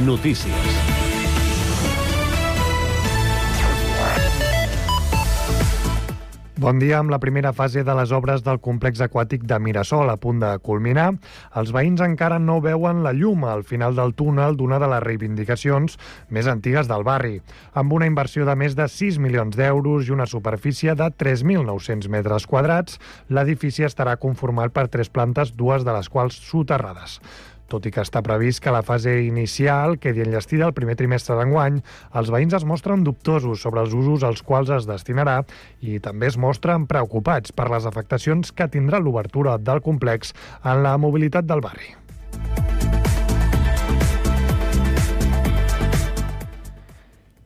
Notícies. Bon dia. Amb la primera fase de les obres del complex aquàtic de Mirasol a punt de culminar, els veïns encara no veuen la llum al final del túnel d'una de les reivindicacions més antigues del barri. Amb una inversió de més de 6 milions d'euros i una superfície de 3.900 metres quadrats, l'edifici estarà conformat per 3 plantes, 2 de les quals soterrades. Tot i que està previst que la fase inicial quedi enllestida el primer trimestre d'enguany, els veïns es mostren dubtosos sobre els usos als quals es destinarà i també es mostren preocupats per les afectacions que tindrà l'obertura del complex en la mobilitat del barri.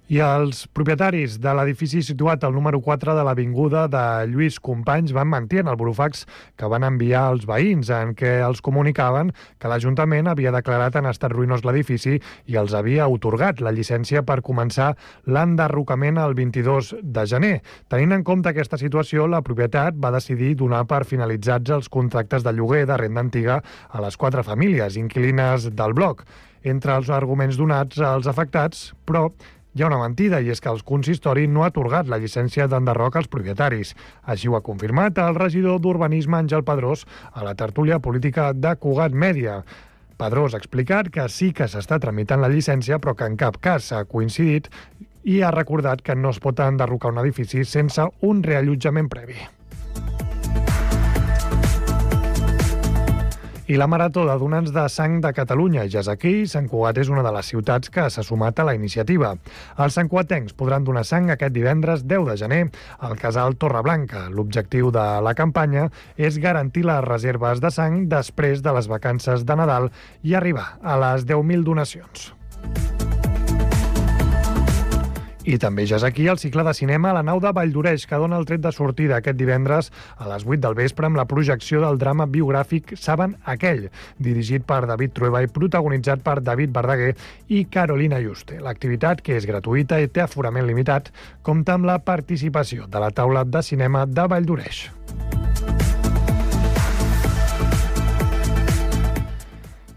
I els propietaris de l'edifici situat al número 4 de l'avinguda de Lluís Companys van mentir en el burofax que van enviar als veïns, en què els comunicaven que l'Ajuntament havia declarat en estat ruïnós l'edifici i els havia atorgat la llicència per començar l'enderrocament el 22 de gener. Tenint en compte aquesta situació, la propietat va decidir donar per finalitzats els contractes de lloguer de renda antiga a les 4 famílies inquilines del bloc. Entre els arguments donats als afectats, però, hi ha una mentida, i és que el consistori no ha atorgat la llicència d'enderroc als propietaris. Així ho ha confirmat el regidor d'Urbanisme, Àngel Pedrós, a la tertúlia política de Cugat Mèdia. Pedrós ha explicat que sí que s'està tramitant la llicència, però que en cap cas s'ha coincidit, i ha recordat que no es pot enderrocar un edifici sense un reallotjament previ. I la Marató de Donants de Sang de Catalunya ja és aquí. Sant Cugat és una de les ciutats que s'ha sumat a la iniciativa. Els santcugatencs podran donar sang aquest divendres 10 de gener al Casal Torreblanca. L'objectiu de la campanya és garantir les reserves de sang després de les vacances de Nadal i arribar a les 10.000 donacions. I també ja és aquí el cicle de cinema a la nau de Valldoreix, que dona el tret de sortida aquest divendres a les 8 del vespre amb la projecció del drama biogràfic Saben aquell, dirigit per David Trueba i protagonitzat per David Verdaguer i Carolina Juste. L'activitat, que és gratuïta i té aforament limitat, compta amb la participació de la taula de cinema de Valldoreix.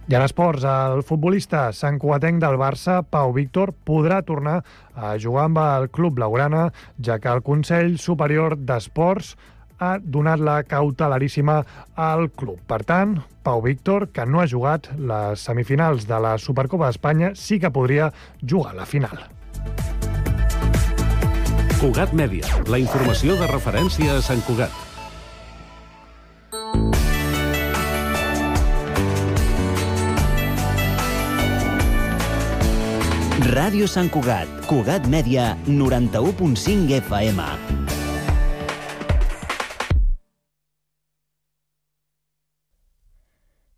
I en esports, el futbolista santcugatenc del Barça, Pau Víctor, podrà tornar a jugar amb el club blaugrana, ja que el Consell Superior d'Esports ha donat la cautelaríssima al club. Per tant, Pau Víctor, que no ha jugat les semifinals de la Supercopa d'Espanya, sí que podria jugar la final. Cugat Mèdia, la informació de referència a Sant Cugat. Ràdio Sant Cugat, Cugat Mèdia, 91.5 FM.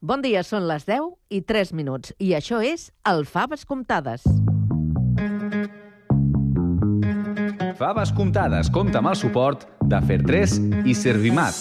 Bon dia, són les 10:03 i això és el Faves Comptades. Faves Comptades compta amb el suport de Fer3 i Servimat.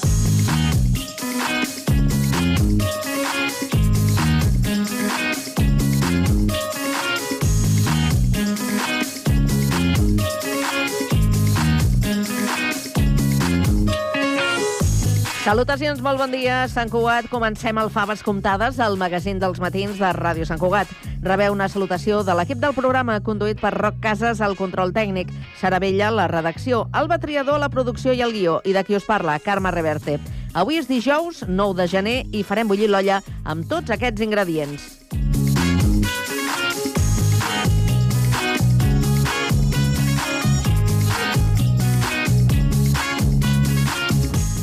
Salutacions, molt bon dia, Sant Cugat. Comencem el Faves Comptades, el magazín dels matins de Ràdio Sant Cugat. Rebeu una salutació de l'equip del programa, conduït per Roc Casas, al control tècnic, Sara Vella, la redacció, Alba Triador, la producció i el guió, i de qui us parla, Carme Reverte. Avui és dijous, 9 de gener, i farem bullir l'olla amb tots aquests ingredients.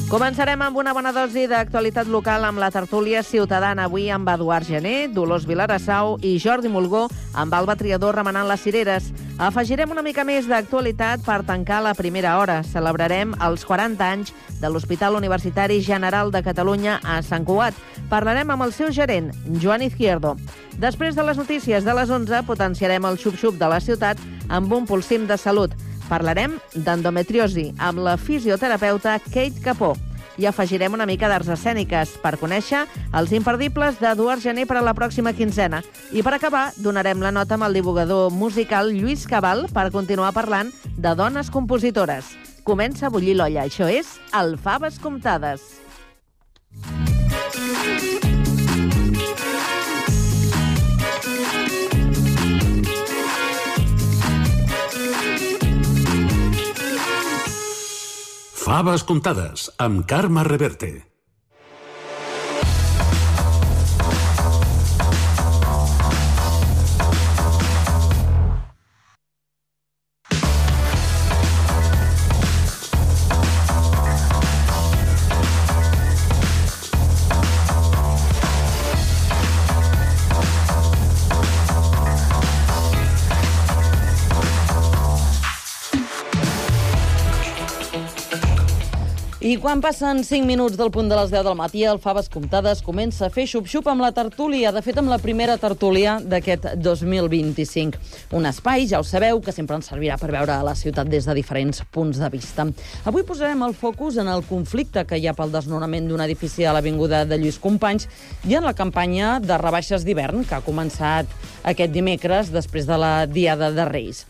Començarem amb una bona dosi d'actualitat local amb la tertúlia ciutadana, avui amb Eduard Gené, Dolors Vilarassau i Jordi Mulgó, amb Alba Triador remenant les cireres. Afegirem una mica més d'actualitat per tancar la primera hora. Celebrarem els 40 anys de l'Hospital Universitari General de Catalunya a Sant Cugat. Parlarem amb el seu gerent, Joan Izquierdo. Després de les notícies de les 11, potenciarem el xup-xup de la ciutat amb un pulsim de salut. Parlarem d'endometriosi amb la fisioterapeuta Kate Capó i afegirem una mica d'arts escèniques per conèixer els imperdibles d'Eduard Gené per a la pròxima quinzena. I per acabar, donarem la nota amb el divulgador musical Lluís Cabal per continuar parlant de dones compositores. Comença a bullir l'olla. Això és el Faves Comptades. Faves comptades, amb Carme Reverte. I quan passen 5 minuts del punt de les 10 del matí, el Faves Comptades comença a fer xup-xup amb la tertúlia, de fet amb la primera tertúlia d'aquest 2025. Un espai, ja ho sabeu, que sempre ens servirà per veure la ciutat des de diferents punts de vista. Avui posarem el focus en el conflicte que hi ha pel desnonament d'un edifici a l'Avinguda de Lluís Companys i en la campanya de rebaixes d'hivern que ha començat aquest dimecres després de la Diada de Reis.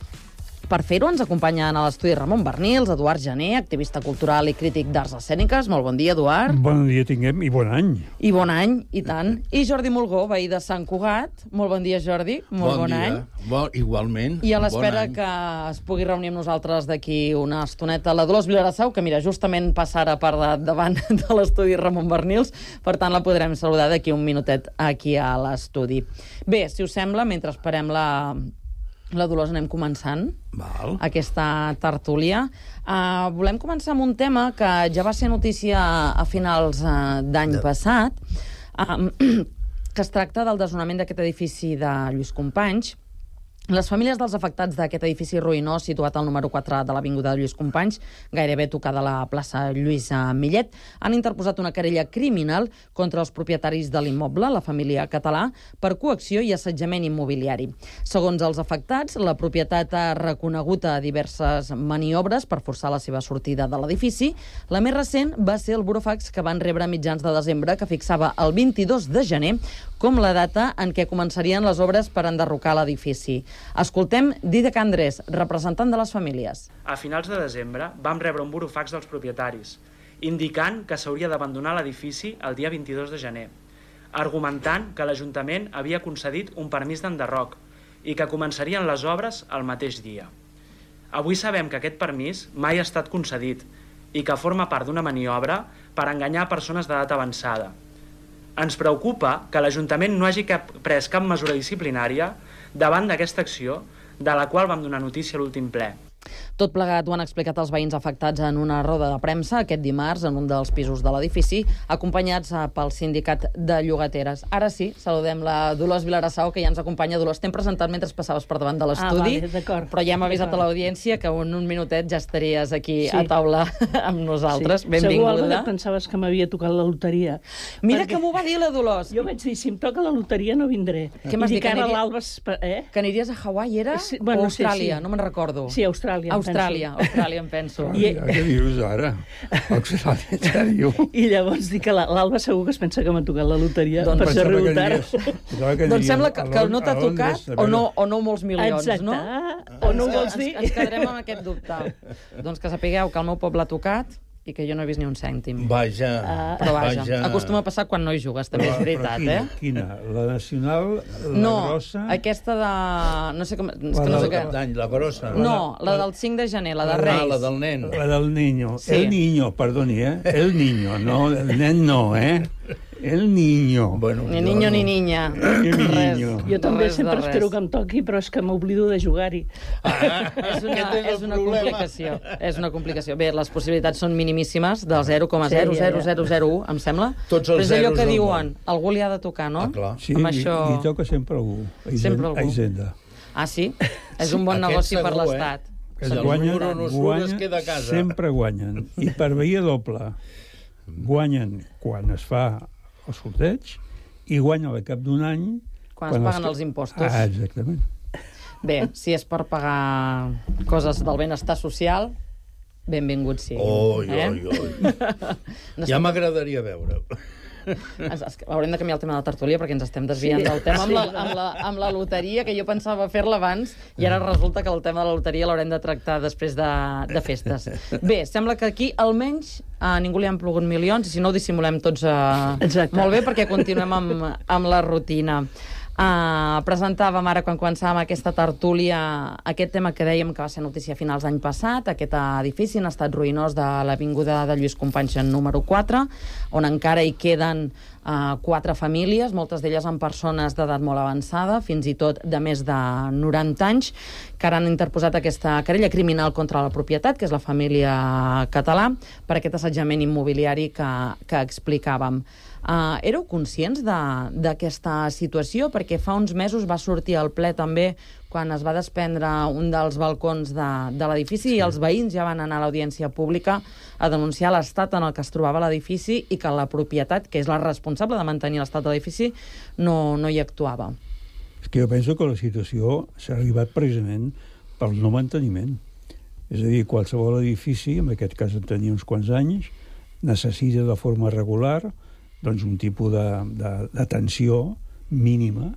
Per fer-ho ens acompanyen a l'estudi Ramon Bernils, Eduard Gené, activista cultural i crític d'arts escèniques. Molt bon dia, Eduard. Bon dia tinguem i bon any. I bon any, i tant. I Jordi Mulgó, veí de Sant Cugat. Molt bon dia, Jordi. Molt bon any. Igualment. I a l'espera que es pugui reunir amb nosaltres d'aquí una estoneta la Dolors Vilarassau, que mira, justament passa ara per davant de l'estudi Ramon Bernils, per tant la podrem saludar d'aquí un minutet aquí a l'estudi. Bé, si us sembla, mentre esperem la Dolors anem començant aquesta tertúlia. Volem començar amb un tema que ja va ser notícia a finals d'any passat, que es tracta del desnonament d'aquest edifici de Lluís Companys. Les famílies dels afectats d'aquest edifici ruïnós situat al número 4 de l'Avinguda de Lluís Companys, gairebé tocada a la plaça Lluís Millet, han interposat una querella criminal contra els propietaris de l'immoble, la família Català, per coacció i assetjament immobiliari. Segons els afectats, la propietat ha reconegut a diverses maniobres per forçar la seva sortida de l'edifici. La més recent va ser el burofax que van rebre a mitjans de desembre, que fixava el 22 de gener com la data en què començarien les obres per enderrocar l'edifici. Escoltem Dídac Andrés, representant de les famílies. A finals de desembre vam rebre un burofax dels propietaris, indicant que s'hauria d'abandonar l'edifici el dia 22 de gener, argumentant que l'Ajuntament havia concedit un permís d'enderroc i que començarien les obres el mateix dia. Avui sabem que aquest permís mai ha estat concedit i que forma part d'una maniobra per enganyar persones d'edat avançada. Ens preocupa que l'Ajuntament no hagi pres cap mesura disciplinària davant d'aquesta acció, de la qual vam donar notícia a l'últim ple. Tot plegat ho han explicat els veïns afectats en una roda de premsa aquest dimarts en un dels pisos de l'edifici, acompanyats pel sindicat de llogateres. Ara sí, saludem la Dolors Vilarassau, que ja ens acompanya. Dolors, t'hem presentat mentre passaves per davant de l'estudi, però ja hem avisat a l'audiència que en un minutet ja estaries aquí a taula amb nosaltres. Sí. Benvinguda. Segur, Alba, que pensaves que m'havia tocat la loteria. Mira que m'ho va dir la Dolors. Jo vaig dir, si em toca la loteria no vindré. Què m'has dit? Que l'Alba... Que aniries a Hawaii, era? Sí, o Austràlia? No me'n recordo. Sí, Austràlia, em penso. Què dius ara? Austràlia, en sèrio? I llavors dic que l'Alba segur que es pensa que m'ha tocat la loteria per ser riutar. Doncs sembla que no t'ha tocat o no molts milions, no? Exacte. O no ho vols dir? Ens quedarem amb aquest dubte. Doncs que sapigueu que el meu poble ha tocat i que jo no he vist ni un cèntim. Vaja. Però vaja, acostuma a passar quan no hi jugues, també és veritat, Quina? La nacional, la grossa? No, aquesta de... No sé com... La grossa? No, la del 5 de gener, la de Reis. La del nen. La del niño. Sí. El niño, perdoni, El niño, no, el nen no, El niño. Bueno, ni niño ni niña. Ni niño. Jo també sempre espero que em toqui, però és que m'oblido de jugar-hi. És una complicació. És una complicació. Bé, les possibilitats són minimíssimes, del 0,00001, em sembla. Tots els zeros. Però és allò que del diuen, algú li ha de tocar, no? clar. Sí, i toca sempre algú. Sempre algú. A Hisenda. Ah, sí? És un bon negoci per l'Estat. Guanyen, sempre guanyen. I per veia doble. Guanyen quan es fa el sorteig i guanya al cap d'un any... Quan es paguen els impostos. Exactament. Bé, si és per pagar coses del benestar social, benvingut sigui. Ja m'agradaria veure. Haurem de canviar el tema de la tertúlia perquè ens estem desviant del tema amb la loteria, que jo pensava fer-la abans i ara resulta que el tema de la loteria l'haurem de tractar després de festes. Bé, sembla que aquí almenys a ningú li han plogut milions i si no ho dissimulem tots molt bé perquè continuem amb la rutina. Presentàvem ara, quan començàvem aquesta tertúlia, aquest tema que dèiem que va ser notícia a finals d'any passat, aquest edifici en estat ruïnós de l'Avinguda de Lluís Companys número 4, on encara hi queden 4 famílies, moltes d'elles amb persones d'edat molt avançada, fins i tot de més de 90 anys, que ara han interposat aquesta querella criminal contra la propietat, que és la família Català, per aquest assetjament immobiliari que explicàvem. Éreu conscients d'aquesta situació? Perquè fa uns mesos va sortir al ple també quan es va desprendre un dels balcons de l'edifici i els veïns ja van anar a l'audiència pública a denunciar l'estat en el que es trobava l'edifici i que la propietat, que és la responsable de mantenir l'estat de l'edifici, no hi actuava. És que jo penso que la situació s'ha arribat precisament pel no manteniment. És a dir, qualsevol edifici, en aquest cas en tenia uns quants anys, necessita de forma regular doncs un tipus d'atenció mínima,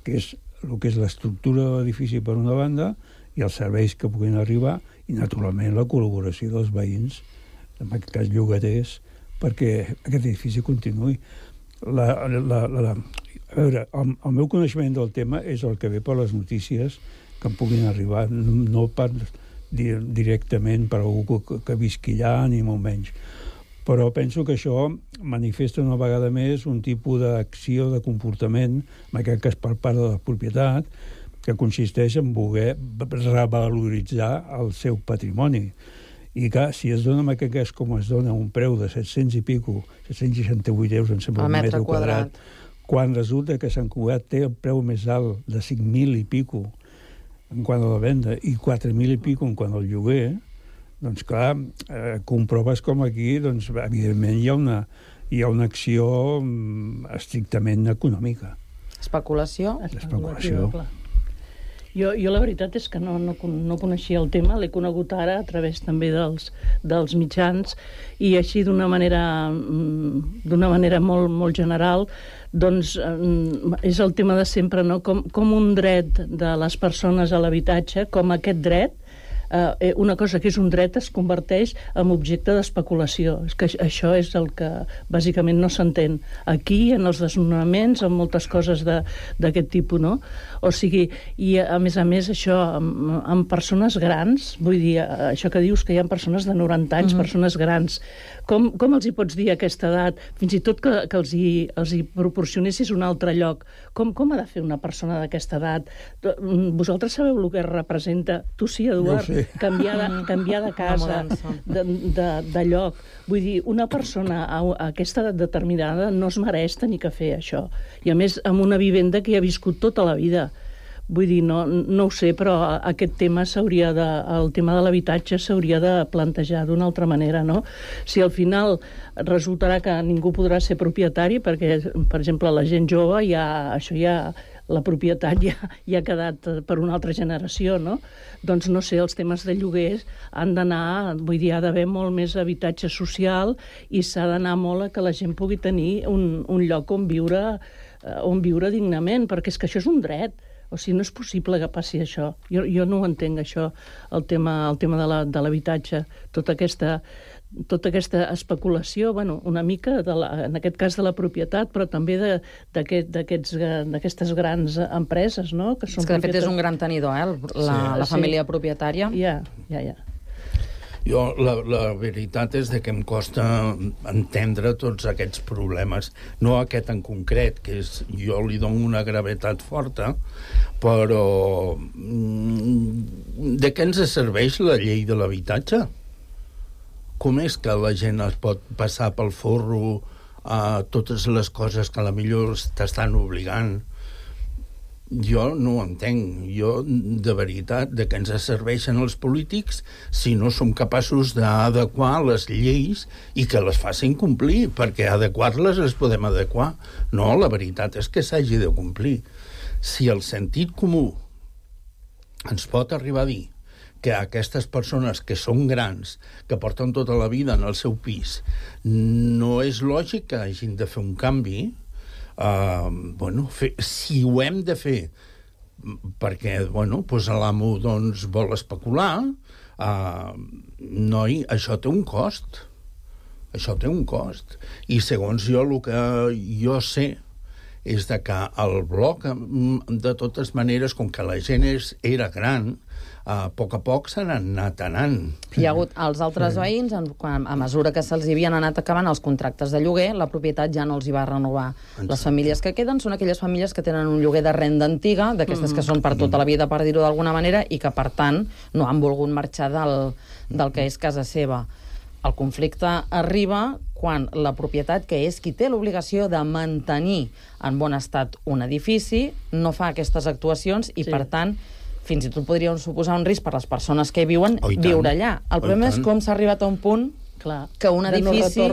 que és el que és l'estructura de l'edifici per una banda i els serveis que puguin arribar i, naturalment, la col·laboració dels veïns, en aquest cas llogaters, perquè aquest edifici continuï. A veure, el meu coneixement del tema és el que ve per les notícies que em puguin arribar, no per directament per algú que visqui allà, ni molt menys. Però penso que això manifesta una vegada més un tipus d'acció, de comportament, en aquest cas per part de la propietat, que consisteix en voler revaloritzar el seu patrimoni. I que si es dona en aquest cas com es dona un preu de 700 i pico, 768 euros, em sembla, un metre quadrat, quan resulta que Sant Cugat té el preu més alt de 5.000 i pico en quant a la venda i 4.000 i pico en quant al lloguer, doncs clar, comproves com aquí, doncs, evidentment hi ha una acció estrictament econòmica. Especulació? Especulació. Jo la veritat és que no coneixia el tema, l'he conegut ara a través també dels mitjans, i així d'una manera molt, molt general, doncs és el tema de sempre, no? Com un dret de les persones a l'habitatge, com aquest dret, una cosa que és un dret es converteix en objecte d'especulació. És que això és el que bàsicament no s'entén. Aquí, en els desnonaments, en moltes coses d'aquest tipus, no? O sigui, i a més, això, amb persones grans, vull dir, això que dius que hi ha persones de 90 anys, persones grans, com els hi pots dir a aquesta edat, fins i tot que els hi proporcionessis un altre lloc? Com ha de fer una persona d'aquesta edat? Vosaltres sabeu el que representa? Tu sí, Eduard? No Canviar de casa, de lloc. Vull dir, una persona a aquesta edat determinada no es mereix tenir que fer això. I a més, amb una vivenda que hi ha viscut tota la vida. Vull dir, no ho sé, però aquest tema el tema de l'habitatge s'hauria de plantejar d'una altra manera, no? Si al final resultarà que ningú podrà ser propietari, perquè, per exemple, la gent jove la propietat ja ha quedat per una altra generació, no? Doncs no sé, els temes de lloguers han d'anar, vull dir, ha d'haver molt més habitatge social i s'ha d'anar molt a que la gent pugui tenir un lloc on viure dignament, perquè és que això és un dret. O sigui, no és possible que passi això. Jo no ho entenc, això, el tema de l'habitatge, tota aquesta especulació, bueno, una mica, en aquest cas de la propietat, però també d'aquestes grans empreses, no? És que, de fet, és un gran tenidor, la família propietària. Ja. Jo, la veritat és que em costa entendre tots aquests problemes. No aquest en concret, que jo li dono una gravetat forta, però de què ens serveix la llei de l'habitatge? Com és que la gent es pot passar pel forro a totes les coses que potser t'estan obligant? Jo no ho entenc. Jo, de veritat, de què ens serveixen els polítics si no som capaços d'adequar les lleis i que les facin complir, perquè adequar-les les podem adequar. No, la veritat és que s'hagi de complir. Si el sentit comú ens pot arribar a dir que aquestes persones que són grans, que porten tota la vida en el seu pis, no és lògic que hagin de fer un canvi, si ho hem de fer perquè l'amo vol especular, noi, això té un cost. I segons jo, el que jo sé és de que el bloc, de totes maneres, com que la gent era gran, a poc se n'han anat anant. Hi ha hagut els altres veïns, a mesura que se'ls havien anat acabant els contractes de lloguer, la propietat ja no els hi va renovar. Les famílies que queden són aquelles famílies que tenen un lloguer de renda antiga, d'aquestes que són per tota la vida, per dir-ho d'alguna manera, i que, per tant, no han volgut marxar del que és casa seva. El conflicte arriba quan la propietat, que és qui té l'obligació de mantenir en bon estat un edifici, no fa aquestes actuacions i, per tant, fins i tot podria suposar un risc per les persones que hi viuen viure allà. El problema és com s'ha arribat a un punt que un edifici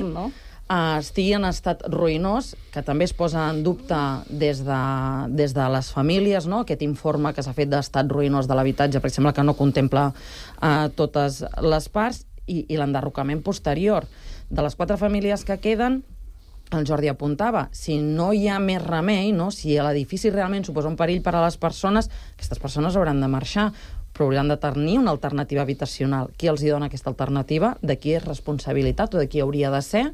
estigui en estat ruïnós, que també es posa en dubte des de les famílies, no? Aquest informe que s'ha fet d'estat ruïnós de l'habitatge, perquè sembla que no contempla totes les parts, i l'enderrocament posterior. De les 4 famílies que queden, el Jordi apuntava, si no hi ha més remei, no? Si l'edifici realment suposa un perill per a les persones, aquestes persones hauran de marxar, però hauran de tenir una alternativa habitacional. Qui els hi dona aquesta alternativa? De qui és responsabilitat o de qui hauria de ser?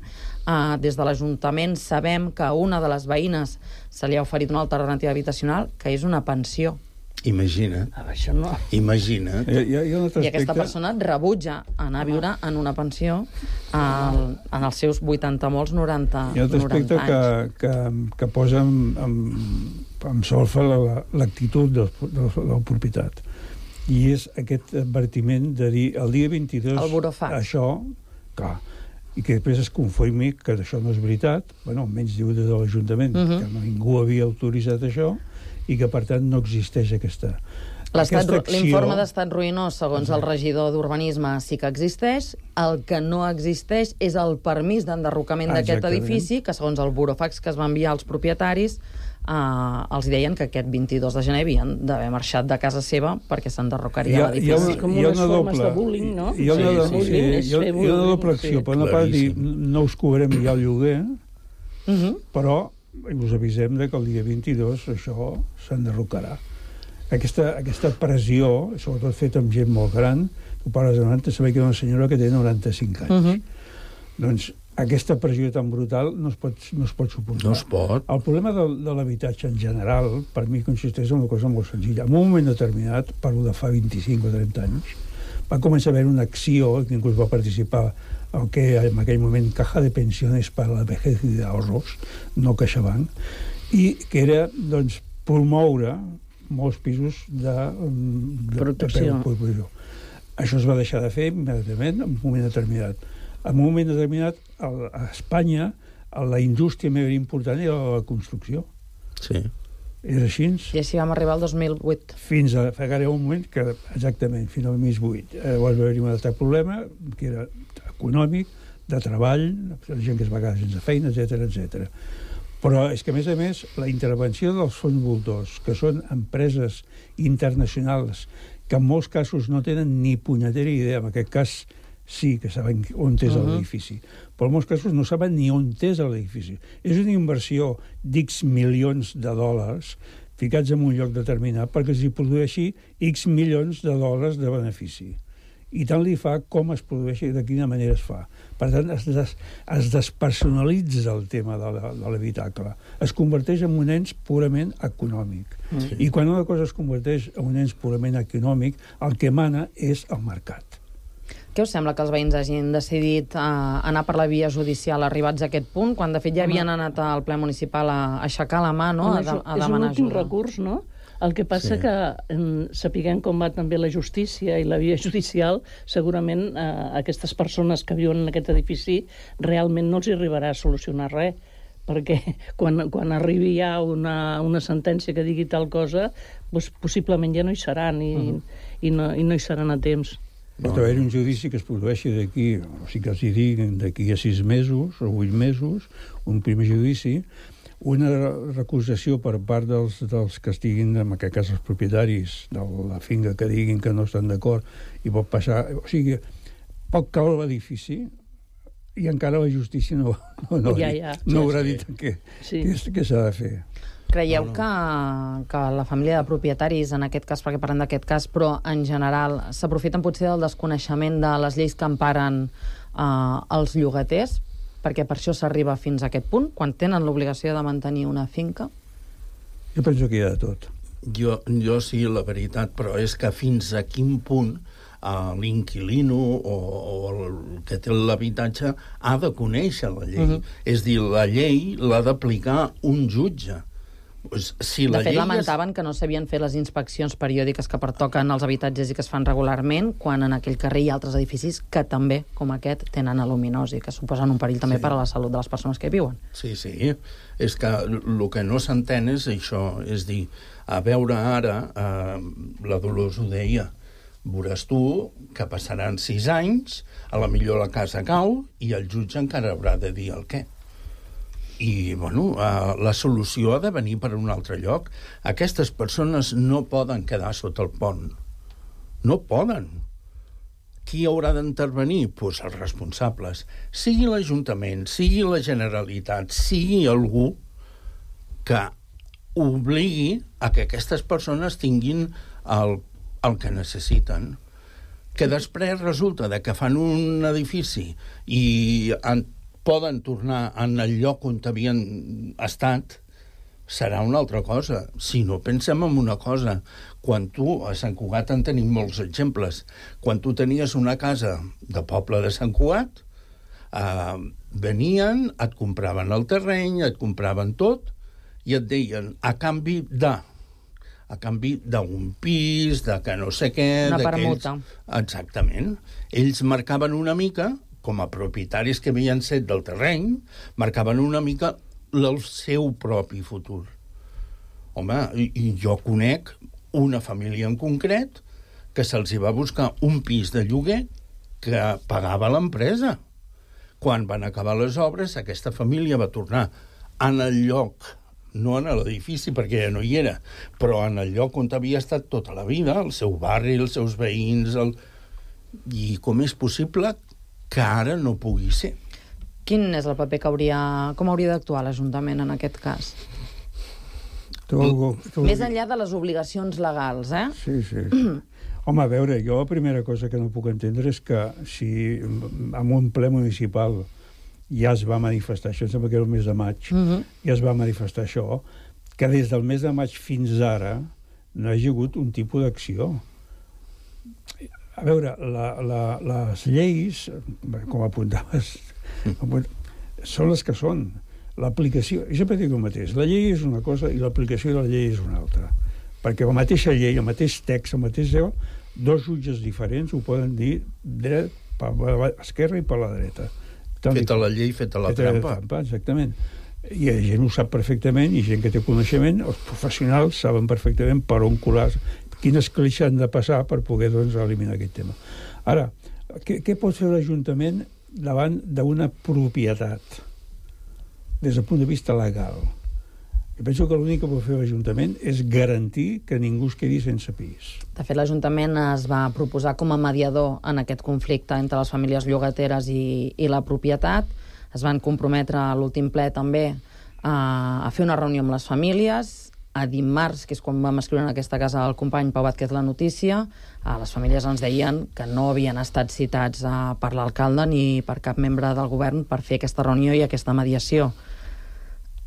Des de l'Ajuntament sabem que a una de les veïnes se li ha oferit una alternativa habitacional, que és una pensió. Imagina't. Això no. Imagina't. I aquesta persona rebutja anar a viure en una pensió en els seus 80 molts 90 anys. Hi ha un aspecte que posa en solfa l'actitud de la propietat. I és aquest advertiment de dir el dia 22 això, clar, i que després es confirmi que això no és veritat, bueno, almenys diu des de l'Ajuntament, que ningú havia autoritzat això, i que, per tant, no existeix aquesta acció. L'informe d'estat ruïnós, segons el regidor d'Urbanisme, sí que existeix. El que no existeix és el permís d'enderrocament d'aquest edifici, que, segons el burofax que es va enviar als propietaris, els deien que aquest 22 de gener havien d'haver marxat de casa seva perquè s'enderrocaria l'edifici. Com unes formes de bullying, no? Hi ha una doble acció. Per una part, dir, no us cobrem ja el lloguer, però us avisem que el dia 22 això s'enderrocarà. Aquesta pressió, sobretot feta amb gent molt gran, tu parles de 90, sabeu que hi ha una senyora que té 95 anys. Doncs aquesta pressió tan brutal no es pot suportar. No es pot. El problema de l'habitatge en general, per mi, consisteix en una cosa molt senzilla. En un moment determinat, parlo de fa 25 o 30 anys, va començar a haver una acció, que inclús va participar el que en aquell moment Caja de Pensiones para la Vejez y de Ahorros, no CaixaBank, i que era, doncs, promoure molts pisos de protecció. Això es va deixar de fer immediatament en un moment determinat. En un moment determinat, a Espanya, la indústria més important era la construcció. Sí. És així. I així vam arribar al 2008. Fins a un moment que, exactament, fins al 2008. Llavors va haver-hi un altre problema, que era econòmic, de treball, gent que es va quedar sense feina, etc. Però és que, a més, la intervenció dels fons voltors, que són empreses internacionals que en molts casos no tenen ni punyetera idea, en aquest cas sí que saben on és l'edifici, però en molts casos no saben ni on és l'edifici. És una inversió d'X milions de dòlars ficats en un lloc determinat perquè s'hi produeixi X milions de dòlars de benefici. I tant li fa com es produeix i de quina manera es fa. Per tant, es despersonalitza el tema de l'habitacle. Es converteix en un ens purament econòmic. I quan una cosa es converteix en un ens purament econòmic, el que mana és el mercat. Què us sembla que els veïns hagin decidit anar per la via judicial arribats a aquest punt, quan de fet ja havien anat al ple municipal a aixecar la mà, no? A demanar ajuda? És un últim recurs, no? El que passa que, sapiguem com va també la justícia i la via judicial, segurament aquestes persones que viuen en aquest edifici realment no els hi arribarà a solucionar res, perquè quan arribi ja una sentència que digui tal cosa, doncs possiblement ja no hi seran i no hi seran a temps. Pot haver un judici que es produeixi d'aquí, o sigui que els hi diguin d'aquí a 6 mesos o 8 mesos, un primer judici, una recusació per part dels que estiguin, en aquest cas els propietaris de la finca, que diguin que no estan d'acord, i pot passar... O sigui, pot caure l'edifici i encara la justícia no haurà dit què s'ha de fer. Creieu que la família de propietaris, en aquest cas, perquè parlem d'aquest cas, però en general, s'aprofiten potser del desconeixement de les lleis que emparen els llogaters, perquè per això s'arriba fins a aquest punt, quan tenen l'obligació de mantenir una finca? Jo penso que hi ha de tot. Jo sí, la veritat, però és que fins a quin punt l'inquilino o el que té l'habitatge ha de conèixer la llei. És dir, la llei l'ha d'aplicar un jutge. Pues, si de fet, lamentaven que no s'havien fet les inspeccions periòdiques que pertoquen als habitatges i que es fan regularment, quan en aquell carrer hi ha altres edificis que també, com aquest, tenen aluminosi, que suposen un perill també per a la salut de les persones que hi viuen. Sí. És que el que no s'entén és això, és dir, a veure ara, la Dolors ho deia, veuràs tu que passaran 6 anys, a la millor la casa cau i el jutge encara haurà de dir el què. I, bueno, la solució ha de venir per un altre lloc. Aquestes persones no poden quedar sota el pont. No poden. Qui haurà d'intervenir? Doncs els responsables. Sigui l'Ajuntament, sigui la Generalitat, sigui algú que obligui a que aquestes persones tinguin el que necessiten. Que després resulta que fan un edifici i poden tornar en el lloc on havien estat, serà una altra cosa. Si no, pensem en una cosa. Quan tu, a Sant Cugat en tenim molts exemples, quan tu tenies una casa de poble de Sant Cugat, venien, et compraven el terreny, et compraven tot, i et deien, a canvi d'un pis, de que no sé què... Una permuta. Exactament. Ells marcaven una mica, com a propietaris que havien set del terreny, marcaven una mica el seu propi futur. Home, i jo conec una família en concret que se'ls va buscar un pis de lloguer que pagava l'empresa. Quan van acabar les obres, aquesta família va tornar en el lloc, no en l'edifici perquè ja no hi era, però en el lloc on havia estat tota la vida, el seu barri, els seus veïns... I com és possible que ara no pugui ser? Quin és el paper que com hauria d'actuar l'Ajuntament en aquest cas? Més enllà de les obligacions legals, eh? Sí. Home, a veure, jo la primera cosa que no puc entendre és que si en un ple municipal ja es va manifestar, això em sembla que era el mes de maig, ja es va manifestar això, que des del mes de maig fins ara no hi ha hagut un tipus d'acció. A veure, les lleis, com apuntaves, són les que són. L'aplicació, jo sempre dic el mateix, la llei és una cosa i l'aplicació de la llei és una altra. Perquè la mateixa llei, el mateix text, el mateix... dos jutges diferents ho poden dir dret per l'esquerra i per la dreta. Feta la llei, feta la trampa. Exactament. I la gent ho sap perfectament, i gent que té coneixement, els professionals saben perfectament per on colar, quines clixes han de passar per poder eliminar aquest tema. Ara, què pot fer l'Ajuntament davant d'una propietat des del punt de vista legal? Jo penso que l'únic que pot fer l'Ajuntament és garantir que ningú es quedi sense pis. De fet, l'Ajuntament es va proposar com a mediador en aquest conflicte entre les famílies llogateres i la propietat. Es van comprometre a l'últim ple també a fer una reunió amb les famílies. A dimarts, que és quan vam escriure en aquesta casa el company Pau Vázquez la notícia, les famílies ens deien que no havien estat citats per l'alcalde ni per cap membre del govern per fer aquesta reunió i aquesta mediació.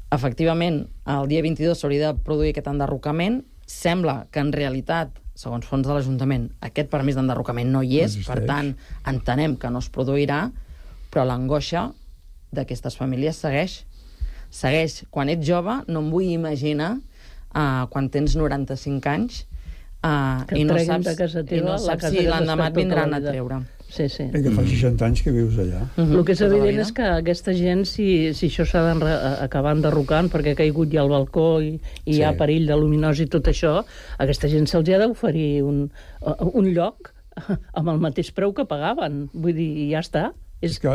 Efectivament, el dia 22 s'hauria de produir aquest enderrocament. Sembla que en realitat, segons fons de l'Ajuntament, aquest permís d'enderrocament no hi és, per tant, entenem que no es produirà, però l'angoixa d'aquestes famílies segueix. Segueix. Quan ets jove, no em vull imaginar quan tens 95 anys i no saps si l'endemà et vindran a treure. Sí. Que fa 60 anys que vius allà. El que és evident és que aquesta gent, si això s'ha d'acabar enderrocant perquè ha caigut ja al balcó i hi ha perill de luminosi i tot això, a aquesta gent se'ls ha d'oferir un lloc amb el mateix preu que pagaven. Vull dir, ja està. És que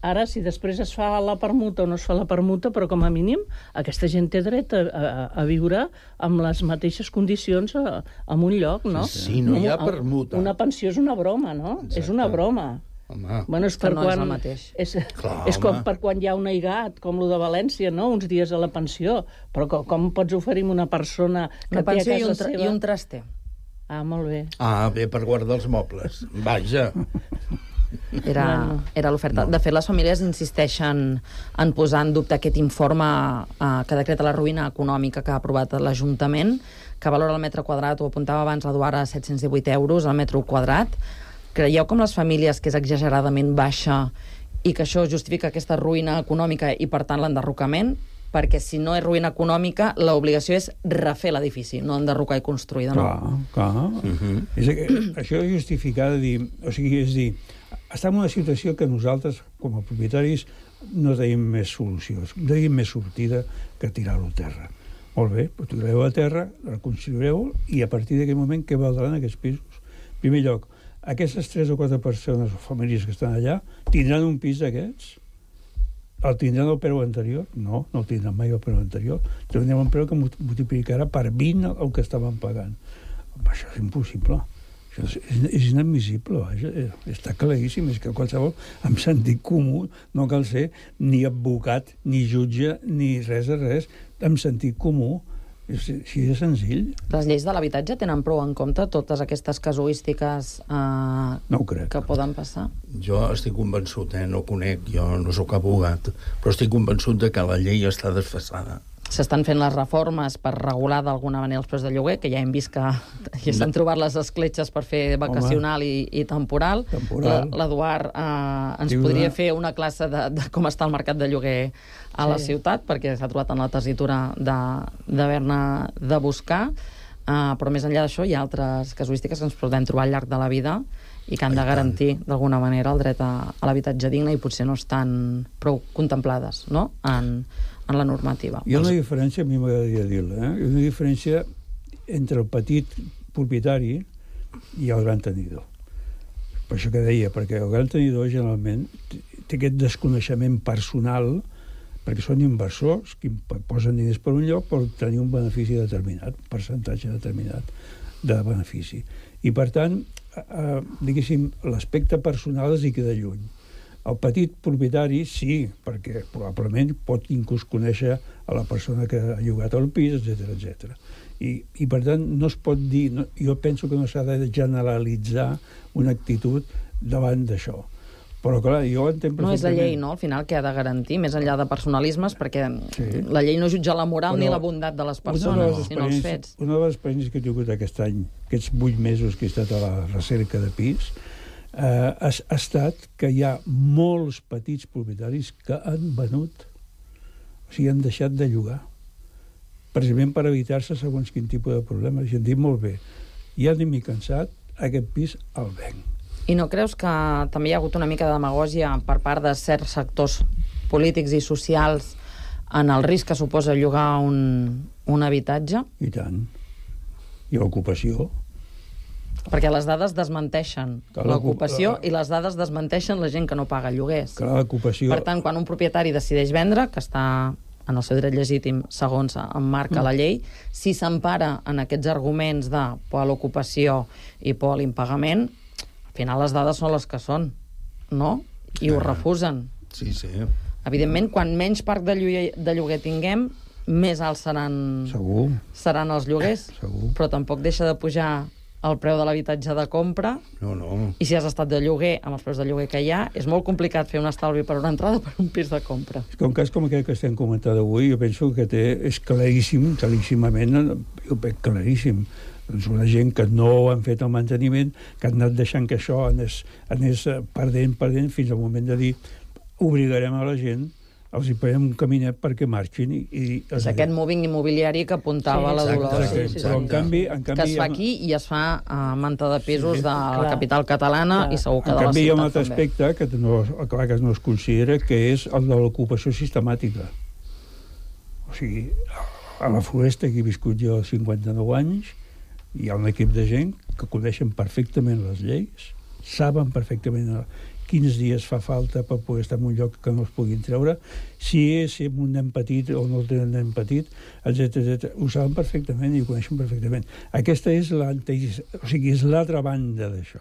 ara, si després es fa la permuta o no es fa la permuta, però com a mínim aquesta gent té dret a viure amb les mateixes condicions en un lloc, no? Sí, no hi ha permuta. Una pensió és una broma, no? Exacte. És una broma. Home, bueno, és per no és el mateix. És com per quan hi ha un aigat, com el de València, no? Uns dies a la pensió. Però com pots oferir a una persona que té a casa seva... I un traster. Ah, molt bé. Ah, bé, per guardar els mobles. Vaja. Era l'oferta. De fet, les famílies insisteixen en posar en dubte aquest informe que decreta la ruïna econòmica que ha aprovat l'Ajuntament, que valora el metre quadrat, ho apuntava abans l'Eduard, a 718 euros al metre quadrat. Creieu com les famílies que és exageradament baixa i que això justifica aquesta ruïna econòmica i, per tant, l'enderrocament? Perquè si no és ruïna econòmica, l'obligació és refer l'edifici, no enderrocar i construir de nou. Clar. Això és justificar de dir... O sigui, és dir, estem en una situació que nosaltres, com a propietaris, no tenim més solucions, no tenim més sortida que tirar-ho a terra. Molt bé, però tireu a terra, reconstruireu, i a partir d'aquell moment, què valdran aquests pisos? En primer lloc, aquestes 3 o 4 persones o famílies que estan allà tindran un pis d'aquests? El tindran el preu anterior? No el tindran mai el preu anterior. Tindran un preu que multiplicarà per 20 el que estaven pagant. Això és impossible. Això és inadmissible. Està claríssim. És que qualsevol, amb sentit comú, no cal ser ni advocat, ni jutge, ni res de res. Amb sentit comú. Així de senzill. Les lleis de l'habitatge tenen prou en compte totes aquestes casuístiques no ho crec, que poden passar? Jo estic convençut, no conec, jo no sóc abogat, però estic convençut de que la llei està desfasada. S'estan fent les reformes per regular d'alguna manera els preus de lloguer, que ja hem vist que ja s'han trobat les escletxes per fer vacacional i temporal. L'Eduard ens podria fer una classe de com està el mercat de lloguer a la ciutat, perquè s'ha trobat en la tessitura d'haver-ne de buscar, però més enllà d'això hi ha altres casuístiques que ens podem trobar al llarg de la vida i que han de garantir d'alguna manera el dret a l'habitatge digne i potser no estan prou contemplades, no?, en la normativa. Hi ha una diferència, a mi m'agradaria dir-la, hi ha una diferència entre el petit propietari i el gran tenidor. Per això que deia, perquè el gran tenidor generalment té aquest desconeixement personal, perquè són inversors que posen diners per un lloc per tenir un benefici determinat, un percentatge determinat de benefici. I per tant, diguéssim, l'aspecte personal es hi queda lluny. El petit propietari sí, perquè probablement pot inclús conèixer a la persona que ha llogat el pis, etc. I per tant no es pot dir, jo penso que no s'ha de generalitzar una actitud davant d'això. Però clar, jo entenc perfectament... No és la llei, no?, al final, que ha de garantir, més enllà de personalismes, perquè la llei no jutja la moral ni la bondat de les persones, sinó els fets. Una de les experiències que he tingut aquest any, aquests 8 mesos que he estat a la recerca de pis, ha estat que hi ha molts petits propietaris que han venut, o sigui, han deixat de llogar, precisament per evitar-se segons quin tipus de problemes. I han dit, molt bé, ja ni m'he cansat, aquest pis el venc. I no creus que també hi ha hagut una mica de demagògia per part de certs sectors polítics i socials en el risc que suposa llogar un habitatge? I tant. I l'ocupació. Perquè les dades desmenteixen l'ocupació i les dades desmenteixen la gent que no paga lloguers. Per tant, quan un propietari decideix vendre, que està en el seu dret legítim segons emmarca la llei, si s'empara en aquests arguments de por a l'ocupació i por a l'impagament, al final les dades són les que són, no? I ho refusen. Sí. Evidentment, quan menys parc de lloguer tinguem, més alts seran els lloguers. Segur. Però tampoc deixa de pujar el preu de l'habitatge de compra. No. I si has estat de lloguer amb els preus de lloguer que hi ha, és molt complicat fer un estalvi per una entrada per un pis de compra. És que un cas com aquest que estem comentant avui, jo penso que és claríssim, claríssimament, jo veig claríssim. Doncs una gent que no han fet el manteniment, que han anat deixant que això anés perdent fins al moment de dir obligarem a la gent, els hi paguem un caminet perquè marxin. És aquest moving immobiliari que apuntava la Dolors. Però en canvi... Que es fa aquí i es fa a manta de pisos de la capital catalana i segur que de la ciutat també. En canvi hi ha un altre aspecte que no es considera, que és el de l'ocupació sistemàtica. O sigui, a la Floresta, que he viscut jo 59 anys, hi ha un equip de gent que coneixen perfectament les lleis, saben perfectament quins dies fa falta per poder estar en un lloc que no es puguin treure, si és un nen petit o no té un nen petit, etc. Ho saben perfectament i ho coneixen perfectament. Aquesta és l'altra banda d'això.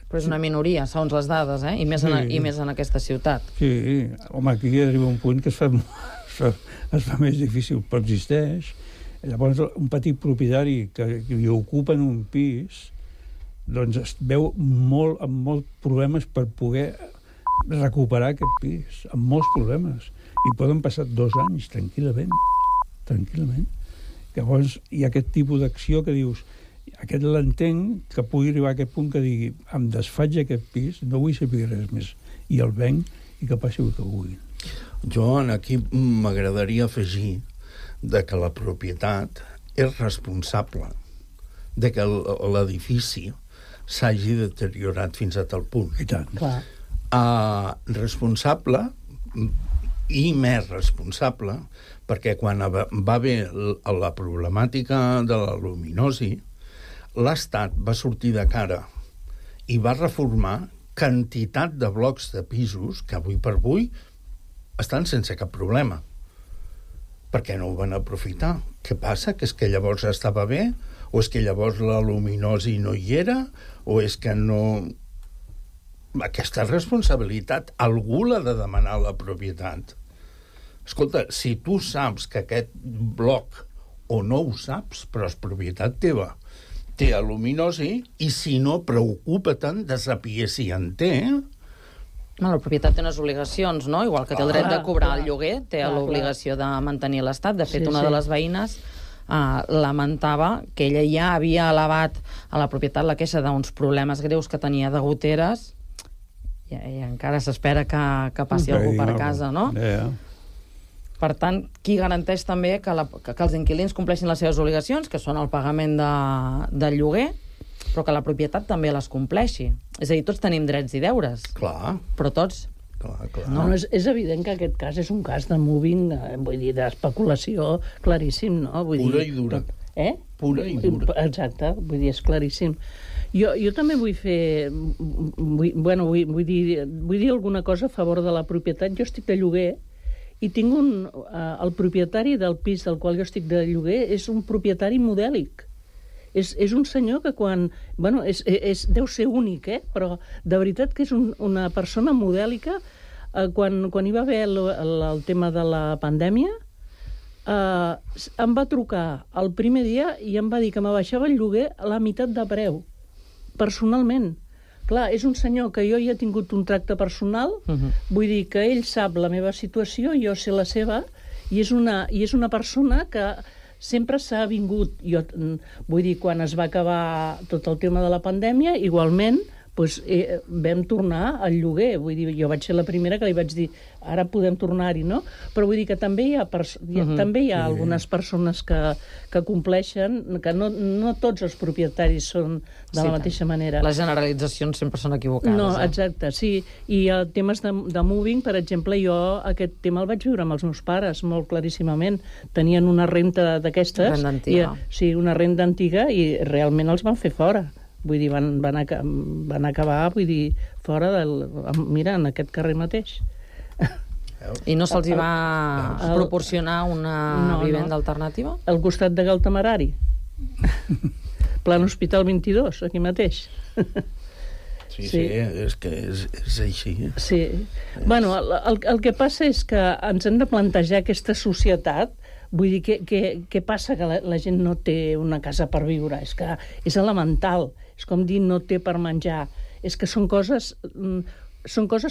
Però és una minoria, segons les dades, i més en aquesta ciutat. Sí, home, aquí arriba un punt que es fa més difícil, però existeix. Llavors, un petit propietari que li ocupen un pis, doncs es veu amb molts problemes per poder recuperar aquest pis, amb molts problemes. I poden passar 2 anys, tranquil·lament. Llavors, hi ha aquest tipus d'acció que dius, aquest l'entenc, que pugui arribar a aquest punt que digui, em desfaig aquest pis, no vull saber res més, i el venc i que passi el que vulgui. Jo aquí m'agradaria afegir de que la propietat és responsable de que l'edifici s'hagi deteriorat fins a tal punt. I tant. Clar. Responsable i més responsable perquè quan va haver la problemàtica de la luminosi, l'Estat va sortir de cara i va reformar quantitat de blocs de pisos que avui per avui estan sense cap problema. Per què no ho van aprofitar? Què passa? Que és que llavors estava bé? O és que llavors la luminosi no hi era? O és que no... Aquesta responsabilitat algú l'ha de demanar a la propietat. Escolta, si tu saps que aquest bloc, o no ho saps, però és propietat teva, té luminosi, i si no, preocupa-te'n de saber si en té. La propietat té unes obligacions, no? Igual que té el dret de cobrar el lloguer, té l'obligació de mantenir l'estat. De fet, una de les veïnes lamentava que ella ja havia elevat a la propietat la queixa d'uns problemes greus que tenia de goteres i encara s'espera que passi algú per casa, no? Per tant, qui garanteix també que els inquilins compleixin les seves obligacions, que són el pagament del lloguer, però que la propietat també les compleixi. És a dir, tots tenim drets i deures. Clar. Però tots... Clar. No, és evident que aquest cas és un cas de moving, vull dir, d'especulació claríssim, no? Pura i dura. Pura i dura. Exacte, vull dir, és claríssim. Jo també vull fer... Vull dir alguna cosa a favor de la propietat. Jo estic de lloguer i tinc el propietari del pis del qual jo estic de lloguer és un propietari modèlic. És un senyor que quan... Bueno, deu ser únic, però de veritat que és una persona modèlica. Quan hi va haver el tema de la pandèmia, em va trucar el primer dia i em va dir que m'abaixava el lloguer a la meitat de preu, personalment. Clar, és un senyor que jo ja he tingut un tracte personal, vull dir que ell sap la meva situació, jo sé la seva, i és una persona que sempre s'ha vingut. Jo, vull dir, quan es va acabar tot el tema de la pandèmia, igualment vam tornar al lloguer. Vull dir, jo vaig ser la primera que li vaig dir ara podem tornar-hi, no? Però vull dir que també hi ha algunes persones que compleixen, que no tots els propietaris són de la mateixa manera. Les generalitzacions sempre són equivocades. No, exacte, sí. I temes de moving, per exemple, jo aquest tema el vaig viure amb els meus pares molt claríssimament. Tenien una renta d'aquestes. Renda antiga. Sí, una renda antiga i realment els van fer fora. Vull dir, van acabar, vull dir, fora mira, en aquest carrer mateix. I no se'ls va proporcionar una vivenda alternativa? Al costat de Galtamerari. Plan Hospital 22, aquí mateix. Sí, és que és així. Sí. Bueno, el que passa és que ens hem de plantejar aquesta societat. Vull dir, què passa que la gent no té una casa per viure? És que és elemental. És com dir no té per menjar. És que són coses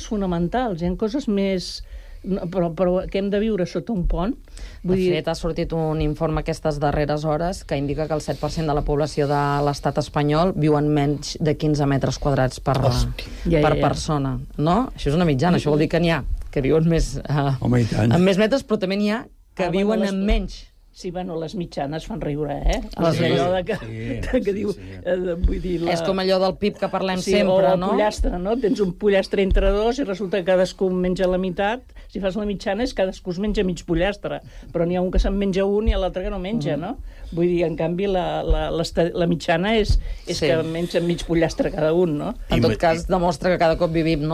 fonamentals. Hi ha coses més... Però que hem de viure sota un pont. De fet, ha sortit un informe aquestes darreres hores que indica que el 7% de la població de l'estat espanyol viu en menys de 15 metres quadrats per persona. No? Això és una mitjana. Això vol dir que n'hi ha que viuen més amb més metres, però també n'hi ha que viuen amb menys. Sí, bueno, les mitjanes fan riure, allò que diu... Vull dir... És com allò del PIB que parlem sempre, no? O el pollastre, no? Tens un pollastre entre dos i resulta que cadascú menja la meitat. Si fas la mitjana és cadascú es menja mig pollastre, però n'hi ha un que se'n menja un i l'altre que no menja, no? Vull dir, en canvi, la mitjana és que menja mig pollastre cada un, no? En tot cas, demostra que cada cop vivim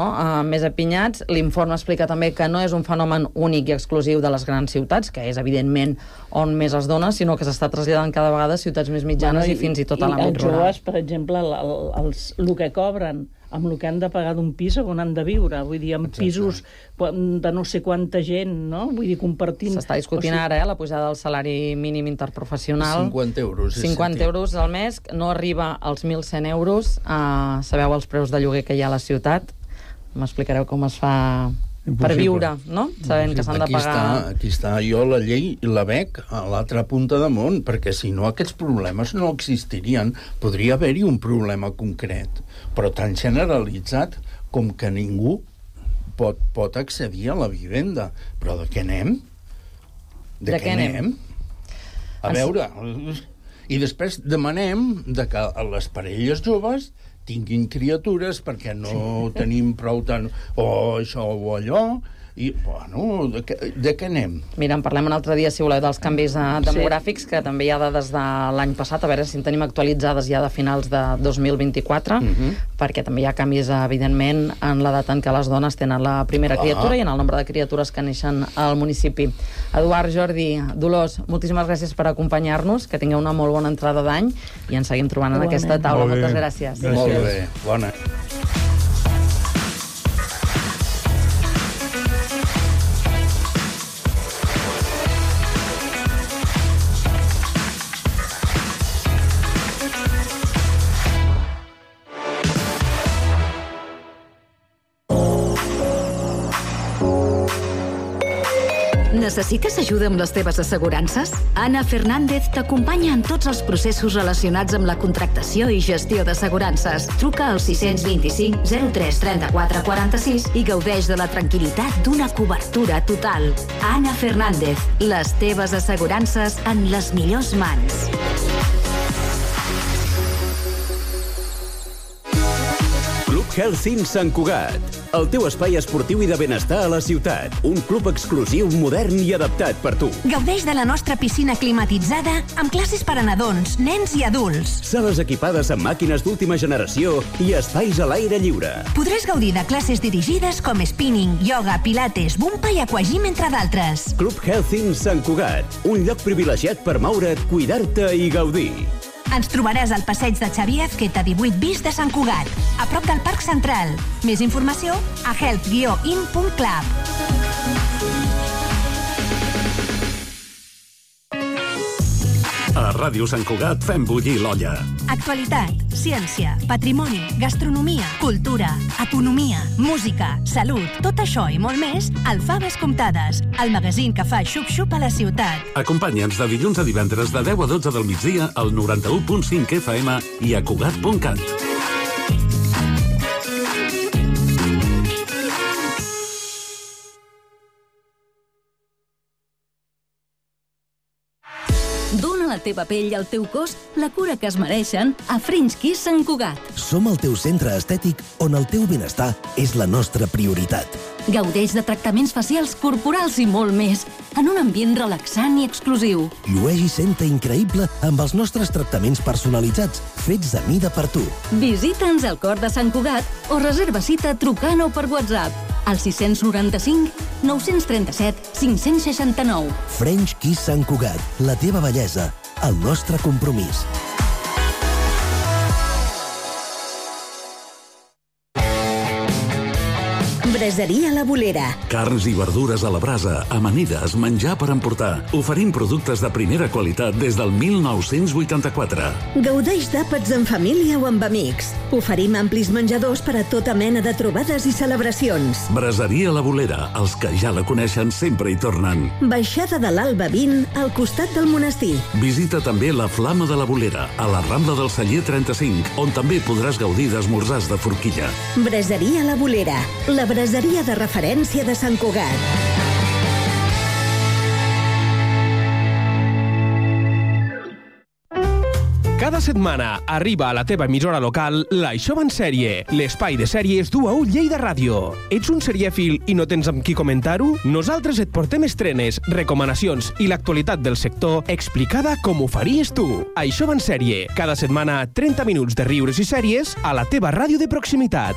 més apinyats. L'informe explica també que no és un fenomen únic i exclusiu de les grans ciutats, que és, evidentment, on més es dona, sinó que s'està traslladant cada vegada a ciutats més mitjanes i fins i tot a l'àmbit rural. Els joves, per exemple, el que cobren amb el que han de pagar d'un pis on han de viure. Vull dir, en pisos de no sé quanta gent, no? Vull dir, compartint... S'està discutint ara, la pujada del salari mínim interprofessional. 50 euros. 50 euros al mes, no arriba als 1.100 euros. Sabeu els preus de lloguer que hi ha a la ciutat? M'explicareu com es fa per viure, no? Sabent que s'han de pagar... Aquí està jo la llei i la veig a l'altra punta de món, perquè si no aquests problemes no existirien. Podria haver-hi un problema concret, però tan generalitzat com que ningú pot accedir a la vivenda. Però de què anem? De què anem? A veure... I després demanem que les parelles joves tinguin criatures perquè no tenim prou tant o això o allò, i, bueno, de què anem? Mira, en parlem un altre dia, si voleu, dels canvis demogràfics, que també hi ha dades de l'any passat, a veure si en tenim actualitzades ja de finals de 2024, perquè també hi ha canvis, evidentment, en l'edat en què les dones tenen la primera criatura i en el nombre de criatures que neixen al municipi. Eduard, Jordi, Dolors, moltíssimes gràcies per acompanyar-nos, que tingueu una molt bona entrada d'any i ens seguim trobant en aquesta taula. Moltes gràcies. Molt bé, bona. Necessites ajuda amb les teves assegurances? Anna Fernández t'acompanya en tots els processos relacionats amb la contractació i gestió d'assegurances. Truca al 625 03 34 46 i gaudeix de la tranquil·litat d'una cobertura total. Anna Fernández, les teves assegurances en les millors mans. Club Health Sant Cugat, el teu espai esportiu i de benestar a la ciutat. Un club exclusiu, modern i adaptat per tu. Gaudeix de la nostra piscina climatitzada amb classes per a nadons, nens i adults. Sales equipades amb màquines d'última generació i espais a l'aire lliure. Podràs gaudir de classes dirigides com spinning, yoga, pilates, bumpa i aquagym, entre d'altres. Club Health Sant Cugat, un lloc privilegiat per moure't, cuidar-te i gaudir. Ens trobaràs al passeig de Xavier Azqueta 18 bis de Sant Cugat, a prop del Parc Central. Més informació a health-in.club. A Ràdio Sant Cugat fem bullir l'olla. Actualitat, ciència, patrimoni, gastronomia, cultura, economia, música, salut, tot això i molt més al Faves Comptades, el magazín que fa xup-xup a la ciutat. Acompanya'ns de dilluns a divendres de 10 a 12 del migdia al 91.5 FM i a Cugat.cat. Dóna a la teva pell i al teu cos la cura que es mereixen a French Kiss Sant Cugat. Som el teu centre estètic on el teu benestar és la nostra prioritat. Gaudeix de tractaments facials, corporals i molt més, en un ambient relaxant i exclusiu. Llueix i senta increïble amb els nostres tractaments personalitzats, fets a mida per tu. Visita'ns al cor de Sant Cugat o reserva cita trucant o per WhatsApp al 695 937 569. French Kiss Sant Cugat, la teva bellesa, el nostre compromís. Braseria La Bolera. Carns i verdures a la brasa, amanides, menjar per emportar. Oferim productes de primera qualitat des del 1984. Gaudeix d'àpats en família o amb amics. Oferim amplis menjadors per a tota mena de trobades i celebracions. Braseria La Bolera, els que ja la coneixen sempre hi tornen. Baixada de l'Alba 20, al costat del monestir. Visita també la Flama de la Bolera, a la Rambla del Celler 35, on també podràs gaudir d'esmorzars de forquilla. Braseria La Bolera, la braseria de referència de Sant Cugat. Cada setmana arriba a la teva emissora local l'Això va en sèrie, l'espai de sèries du a ull Lleida Ràdio. Ets un serièfil i no tens amb qui comentar-ho? Nosaltres et portem estrenes, recomanacions i l'actualitat del sector explicada com ho faries tu. Això va en sèrie, cada setmana 30 minuts de riures i sèries a la teva ràdio de proximitat.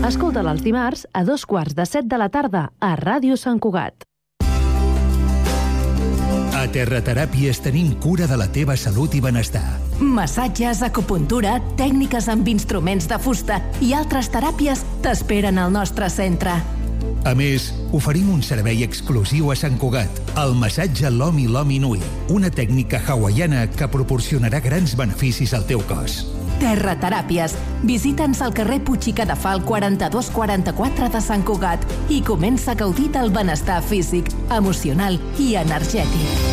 Escolta'l els dimarts a 2:15 de la tarda a Ràdio Sant Cugat. A Terrateràpies tenim cura de la teva salut i benestar. Massatges, acupuntura, tècniques amb instruments de fusta i altres teràpies t'esperen al nostre centre. A més, oferim un servei exclusiu a Sant Cugat, el massatge Lomi Lomi Nui, una tècnica hawaiana que proporcionarà grans beneficis al teu cos. Terra Teràpies. Visita'ns al carrer Puig i Cadafal 4244 de Sant Cugat i comença a gaudir del benestar físic, emocional i energètic.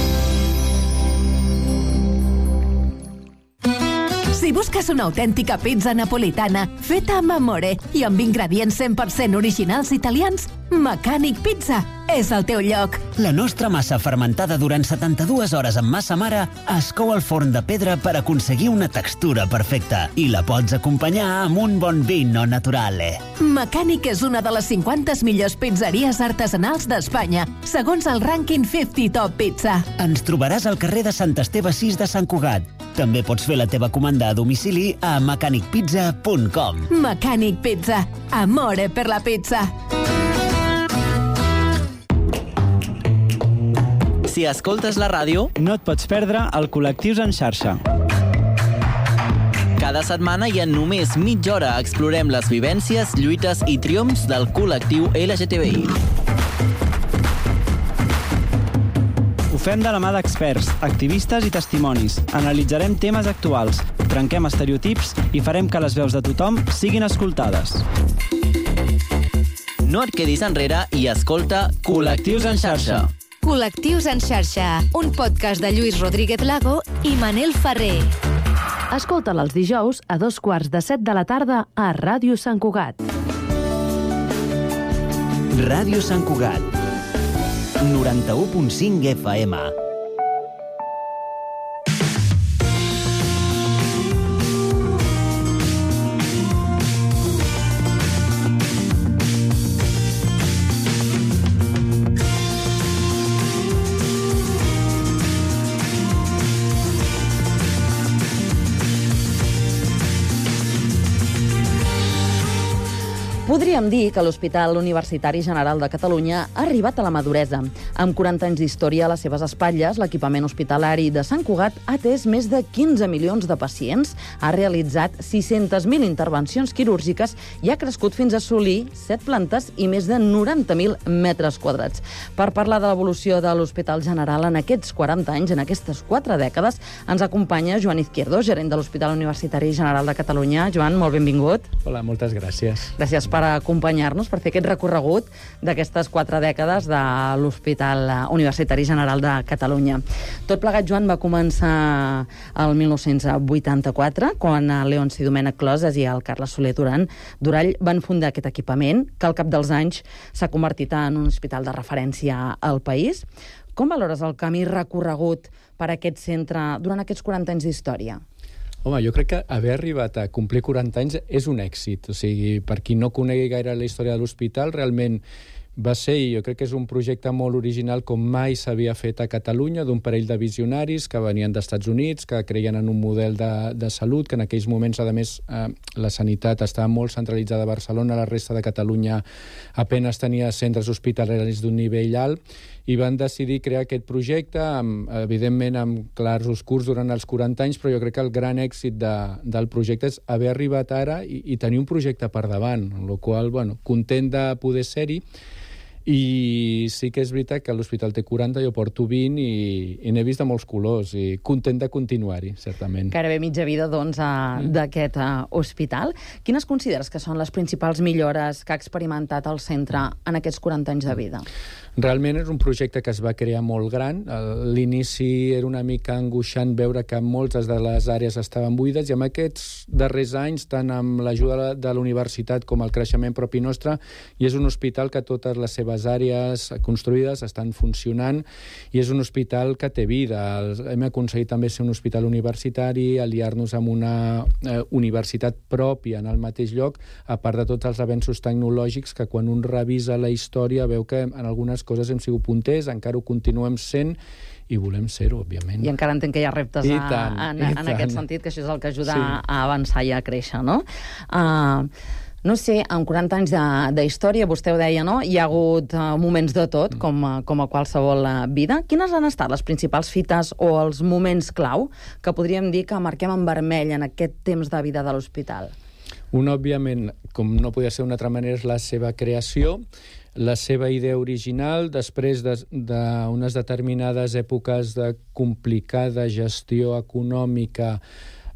Si busques una autèntica pizza napolitana feta amb amore i amb ingredients 100% originals italians, Mecànic Pizza és el teu lloc. La nostra massa fermentada durant 72 hores amb massa mare es cou al forn de pedra per aconseguir una textura perfecta i la pots acompanyar amb un bon vino naturale. Mecànic és una de les 50 millors pizzeries artesanals d'Espanya, segons el rànquing 50 Top Pizza. Ens trobaràs al carrer de Sant Esteve 6 de Sant Cugat. També pots fer la teva comanda a domicili a mecanicpizza.com. Mecànic Pizza. Amore per la pizza. Si escoltes la ràdio, no et pots perdre el Col·lectius en xarxa. Cada setmana i en només mitja hora explorem les vivències, lluites i triomfs del col·lectiu LGTBI. Ho fem de la mà d'experts, activistes i testimonis. Analitzarem temes actuals, trenquem estereotips i farem que les veus de tothom siguin escoltades. No et quedis enrere i escolta Col·lectius en xarxa. Col·lectius en xarxa, un podcast de Lluís Rodríguez Lago i Manel Ferrer. Escolta'l els dijous a 14:45 de la tarda a Ràdio Sant Cugat. Ràdio Sant Cugat, 91.5 FM. Podríem dir que l'Hospital Universitari General de Catalunya ha arribat a la maduresa. Amb 40 anys d'història a les seves espatlles, l'equipament hospitalari de Sant Cugat ha atès més de 15 milions de pacients, ha realitzat 600.000 intervencions quirúrgiques i ha crescut fins a assolir 7 plantes i més de 90.000 metres quadrats. Per parlar de l'evolució de l'Hospital General en aquests 40 anys, en aquestes 4 dècades, ens acompanya Joan Izquierdo, gerent de l'Hospital Universitari General de Catalunya. Joan, molt benvingut. Hola, moltes gràcies. Gràcies per acompanyar-nos, per fer aquest recorregut d'aquestes 4 dècades de l'Hospital Universitari General de Catalunya. Tot plegat, Joan, va començar el 1984, quan Leonci Domènech Closes i el Carles Soler Durall van fundar aquest equipament, que al cap dels anys s'ha convertit en un hospital de referència al país. Com valores el camí recorregut per aquest centre durant aquests 40 anys d'història? Home, jo crec que haver arribat a complir 40 anys és un èxit. O sigui, per qui no conegui gaire la història de l'hospital, realment va ser, i jo crec que és un projecte molt original com mai s'havia fet a Catalunya, d'un parell de visionaris que venien dels Estats Units, que creien en un model de salut, que en aquells moments, a més, la sanitat estava molt centralitzada a Barcelona, la resta de Catalunya apenas tenia centres hospitalaris d'un nivell alt, i van decidir crear aquest projecte, evidentment amb clars oscurs durant els 40 anys, però jo crec que el gran èxit del projecte és haver arribat ara i tenir un projecte per davant, amb la qual cosa, content de poder ser-hi. I sí que és veritat que l'hospital té 40, jo porto 20 i n'he vist de molts colors i content de continuar-hi, certament. Gairebé mitja vida, doncs, d'aquest hospital. Quines consideres que són les principals millores que ha experimentat el centre en aquests 40 anys de vida? Realment és un projecte que es va crear molt gran. L'inici era una mica angoixant veure que moltes de les àrees estaven buides i en aquests darrers anys, tant amb l'ajuda de la universitat com el creixement propi nostre, i és un hospital que totes les seves àrees construïdes estan funcionant i és un hospital que té vida. Hem aconseguit també ser un hospital universitari, aliar-nos amb una universitat pròpia en el mateix lloc, a part de tots els avenços tecnològics que quan un revisa la història veu que en algunes coses hem sigut punters, encara ho continuem sent i volem ser-ho, òbviament. I encara entenc que hi ha reptes en aquest sentit, que això és el que ajuda a avançar i a créixer, no? No sé, en 40 anys d'història, vostè ho deia, no? Hi ha hagut moments de tot, com a qualsevol vida. Quines han estat les principals fites o els moments clau que podríem dir que marquem en vermell en aquest temps de vida de l'hospital? Un, òbviament, com no podia ser d'una altra manera, és la seva creació, la seva idea original, després d'unes determinades èpoques de complicada gestió econòmica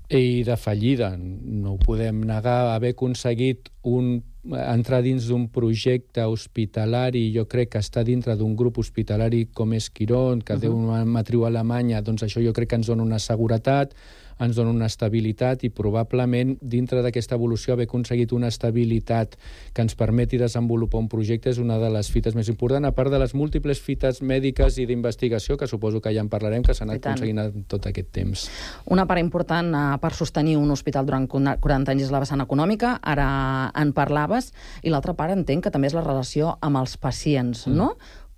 i de fallida. No ho podem negar, haver aconseguit entrar dins d'un projecte hospitalari, jo crec que està dintre d'un grup hospitalari com és Quirón, que té una matriu a Alemanya, doncs això jo crec que ens dona una seguretat, ens dona una estabilitat i probablement dintre d'aquesta evolució haver aconseguit una estabilitat que ens permeti desenvolupar un projecte és una de les fites més importants, a part de les múltiples fites mèdiques i d'investigació, que suposo que ja en parlarem, que s'han anat aconseguint en tot aquest temps. Una part important per sostenir un hospital durant 40 anys és la vessant econòmica, ara en parlaves, i l'altra part entenc que també és la relació amb els pacients, no?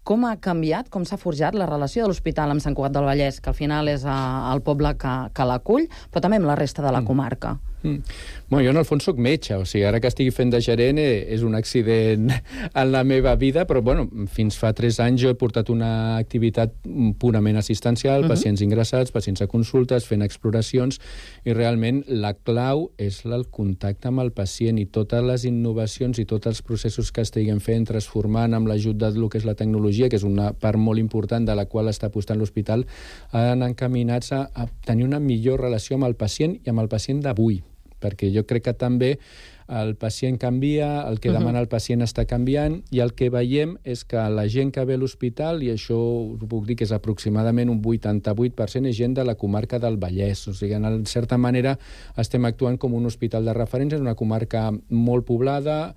Com ha canviat, com s'ha forjat la relació de l'hospital amb Sant Cugat del Vallès, que al final és el poble que l'acull, però també amb la resta de la comarca? Bueno, jo en el fons soc metge, o sigui, ara que estigui fent de gerent és un accident en la meva vida, però bueno, fins fa 3 anys jo he portat una activitat purament assistencial, pacients ingressats, pacients a consultes, fent exploracions, i realment la clau és el contacte amb el pacient i totes les innovacions i tots els processos que estiguem fent, transformant amb l'ajut del que és la tecnologia, que és una part molt important de la qual està apostant l'hospital, han encaminats a tenir una millor relació amb el pacient i amb el pacient d'avui, perquè jo crec que també el pacient canvia, el que demana el pacient està canviant, i el que veiem és que la gent que ve a l'hospital, i això us puc dir que és aproximadament un 88%, és gent de la comarca del Vallès. O sigui, en certa manera estem actuant com un hospital de referència, és una comarca molt poblada,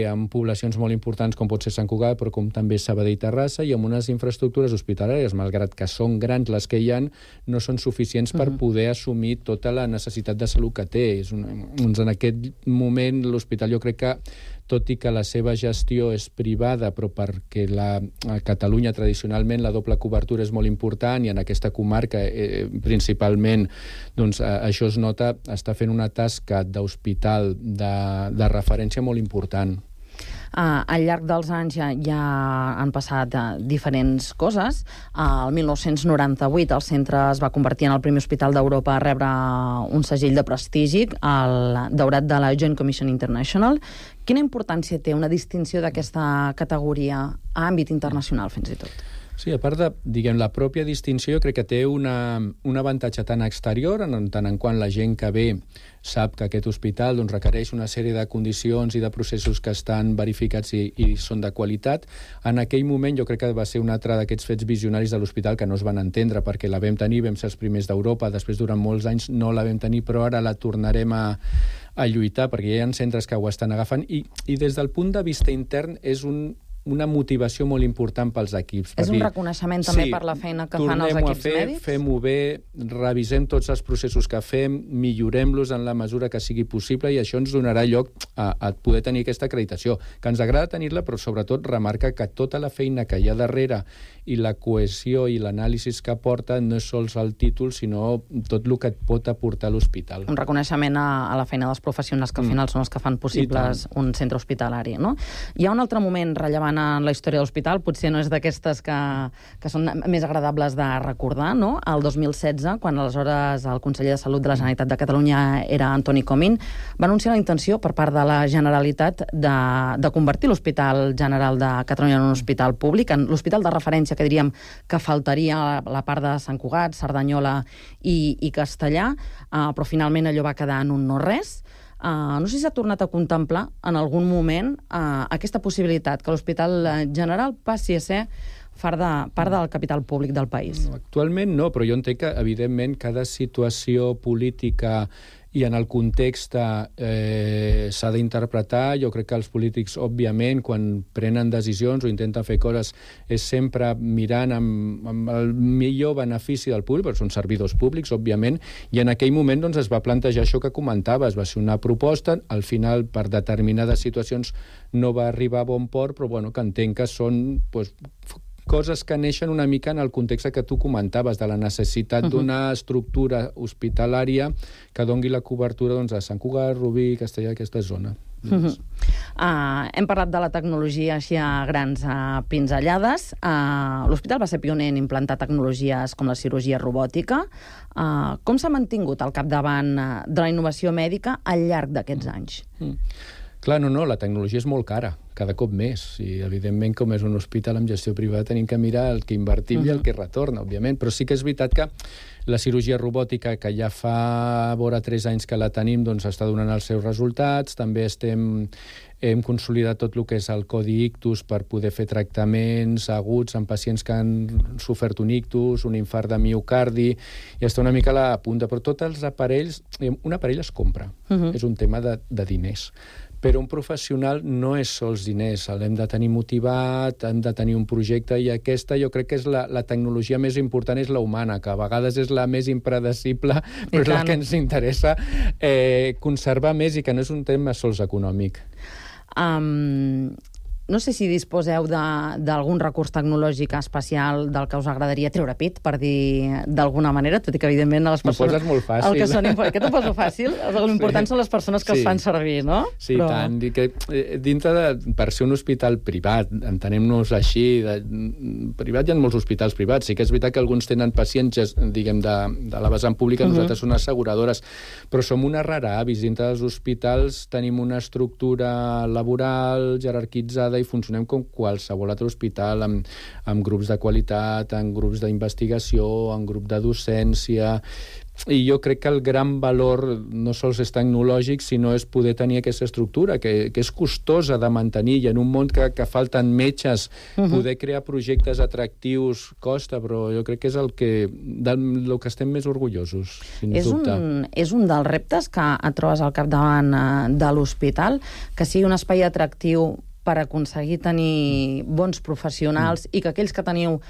amb poblacions molt importants com pot ser Sant Cugat, però com també Sabadell i Terrassa, i amb unes infraestructures hospitalàries, malgrat que són grans les que hi ha, no són suficients per poder assumir tota la necessitat de salut que té. En aquest moment l'hospital jo crec que, tot i que la seva gestió és privada, però perquè a Catalunya tradicionalment la doble cobertura és molt important, i en aquesta comarca principalment doncs, això es nota, està fent una tasca d'hospital de referència molt important. Al llarg dels anys ja han passat diferents coses. El 1998 el centre es va convertir en el primer hospital d'Europa a rebre un segell de prestigi, el daurat de la Joint Commission International. Quina importància té una distinció d'aquesta categoria a àmbit internacional, fins i tot? Sí, a part de, diguem, la pròpia distinció, jo crec que té un avantatge tant exterior, en tant en quant la gent que ve sap que aquest hospital doncs, requereix una sèrie de condicions i de processos que estan verificats i són de qualitat. En aquell moment jo crec que va ser un altre d'aquests fets visionaris de l'hospital que no es van entendre, perquè la vam tenir, vam ser els primers d'Europa, després durant molts anys no la vam tenir, però ara la tornarem a lluitar, perquè hi ha centres que ho estan agafant, i des del punt de vista intern és una motivació molt important pels equips. És un reconeixement també per la feina que fan els equips mèdics? Fem-ho bé, revisem tots els processos que fem, millorem-los en la mesura que sigui possible, i això ens donarà lloc a poder tenir aquesta acreditació, que ens agrada tenir-la, però sobretot remarca que tota la feina que hi ha darrere i la cohesió i l'anàlisi que aporta no és sols el títol, sinó tot el que et pot aportar l'hospital. Un reconeixement a la feina dels professionals que al final són els que fan possibles un centre hospitalari, no? Hi ha un altre moment rellevant en la història de l'hospital, potser no és d'aquestes que són més agradables de recordar, no? El 2016, quan aleshores el conseller de Salut de la Generalitat de Catalunya era Antoni Comín, va anunciar la intenció per part de la Generalitat de convertir l'Hospital General de Catalunya en un hospital públic, en l'hospital de referència que diríem que faltaria la part de Sant Cugat, Cerdanyola i Castellà, però finalment allò va quedar en un no-res. No sé si s'ha tornat a contemplar en algun moment aquesta possibilitat que l'Hospital General passi a ser part del capital públic del país. Actualment no, però jo entenc que, evidentment, cada situació política i en el context s'ha d'interpretar. Jo crec que els polítics, òbviament, quan prenen decisions o intenten fer coses, és sempre mirant amb el millor benefici del públic, perquè són servidors públics, òbviament, i en aquell moment doncs, es va plantejar això que comentaves. Va ser una proposta, al final, per determinades situacions, no va arribar a bon port, però bueno, que entenc que són coses que neixen una mica en el context que tu comentaves, de la necessitat d'una estructura hospitalària que dongui la cobertura a Sant Cugat, Rubí, Castellà, aquesta zona. Hem parlat de la tecnologia així a grans pinzellades. L'hospital va ser pioner en implantar tecnologies com la cirurgia robòtica. Com s'ha mantingut al capdavant de la innovació mèdica al llarg d'aquests anys? Clar, no, la tecnologia és molt cara, cada cop més. I, evidentment, com és un hospital amb gestió privada, tenim que mirar el que invertim i el que retorna, òbviament. Però sí que és veritat que la cirurgia robòtica, que ja fa vora 3 anys que la tenim, doncs està donant els seus resultats. També hem consolidat tot el que és el codi ictus per poder fer tractaments aguts en pacients que han sofert un ictus, un infart de miocardi, i està una mica a la punta. Però tots els aparells, un aparell es compra, és un tema de diners. Però un professional no és sols diners, l'hem de tenir motivat, hem de tenir un projecte, i aquesta jo crec que és la tecnologia més important, és la humana, que a vegades és la més impredecible, però és la que ens interessa conservar més, i que no és un tema sols econòmic. No sé si disposeu d'algun recurs tecnològic especial del que us agradaria treure pit, per dir d'alguna manera, tot i que, evidentment, a les persones... M'ho poses molt fàcil. Que t'ho poso fàcil? L'important són les persones que els fan servir, no? Sí, tant. Per ser un hospital privat, entenem-nos així, privat hi ha molts hospitals privats. Sí que és veritat que alguns tenen pacients, diguem, de la vessant pública, nosaltres són asseguradores, però som una rara avis. Dintre dels hospitals tenim una estructura laboral jerarquitzada i funcionem com qualsevol altre hospital, amb grups de qualitat, amb grups d'investigació, amb grup de docència. I jo crec que el gran valor no sols és tecnològic, sinó és poder tenir aquesta estructura, que és costosa de mantenir, i en un món que falten metges, poder crear projectes atractius costa, però jo crec que és el que estem més orgullosos, sens dubte. És un dels reptes que et trobes al capdavant de l'hospital, que sigui un espai atractiu per aconseguir tenir bons professionals i que aquells que teniu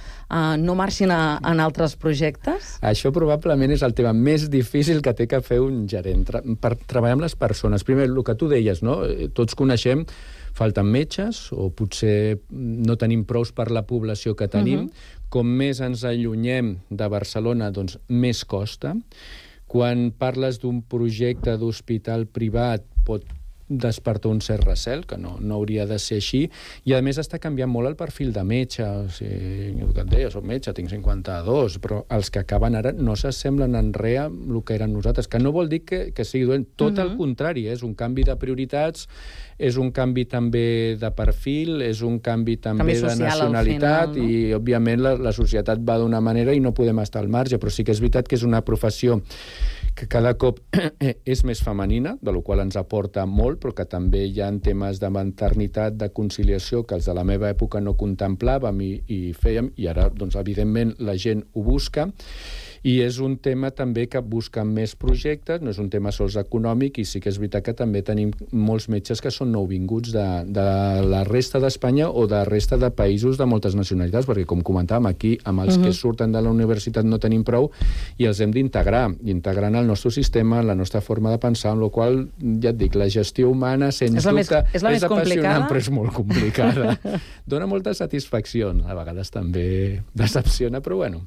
no marxin en altres projectes? Això probablement és el tema més difícil que té que fer un gerent, per treballar amb les persones. Primer, el que tu deies, no? Tots coneixem, falten metges, o potser no tenim prous per la població que tenim. Com més ens allunyem de Barcelona, doncs més costa. Quan parles d'un projecte d'hospital privat, pot despertar un cert recel, que no hauria de ser així, i a més està canviant molt el perfil de metge. O sigui, el que et deia, soc metge, tinc 52, però els que acaben ara no s'assemblen en res amb el que eren nosaltres, que no vol dir que sigui dolent, tot el contrari, és un canvi de prioritats, és un canvi també de perfil, és un canvi també de nacionalitat, i òbviament la societat va d'una manera i no podem estar al marge, però sí que és veritat que és una professió que cada cop és més femenina, de la qual ens aporta molt, però que també hi ha temes de maternitat, de conciliació, que els de la meva època no contemplàvem i fèiem, i ara, doncs, evidentment, la gent ho busca. I és un tema també que busca més projectes, no és un tema sols econòmic, i sí que és veritat que també tenim molts metges que són nouvinguts de la resta d'Espanya o de la resta de països de moltes nacionalitats, perquè, com comentàvem, aquí amb els que surten de la universitat no tenim prou i els hem d'integrar, integrant el nostre sistema, la nostra forma de pensar, amb la qual, ja et dic, la gestió humana, sens dubte, és apassionant, però és molt complicada. Dóna moltes satisfaccions, a vegades també decepciona, però bueno.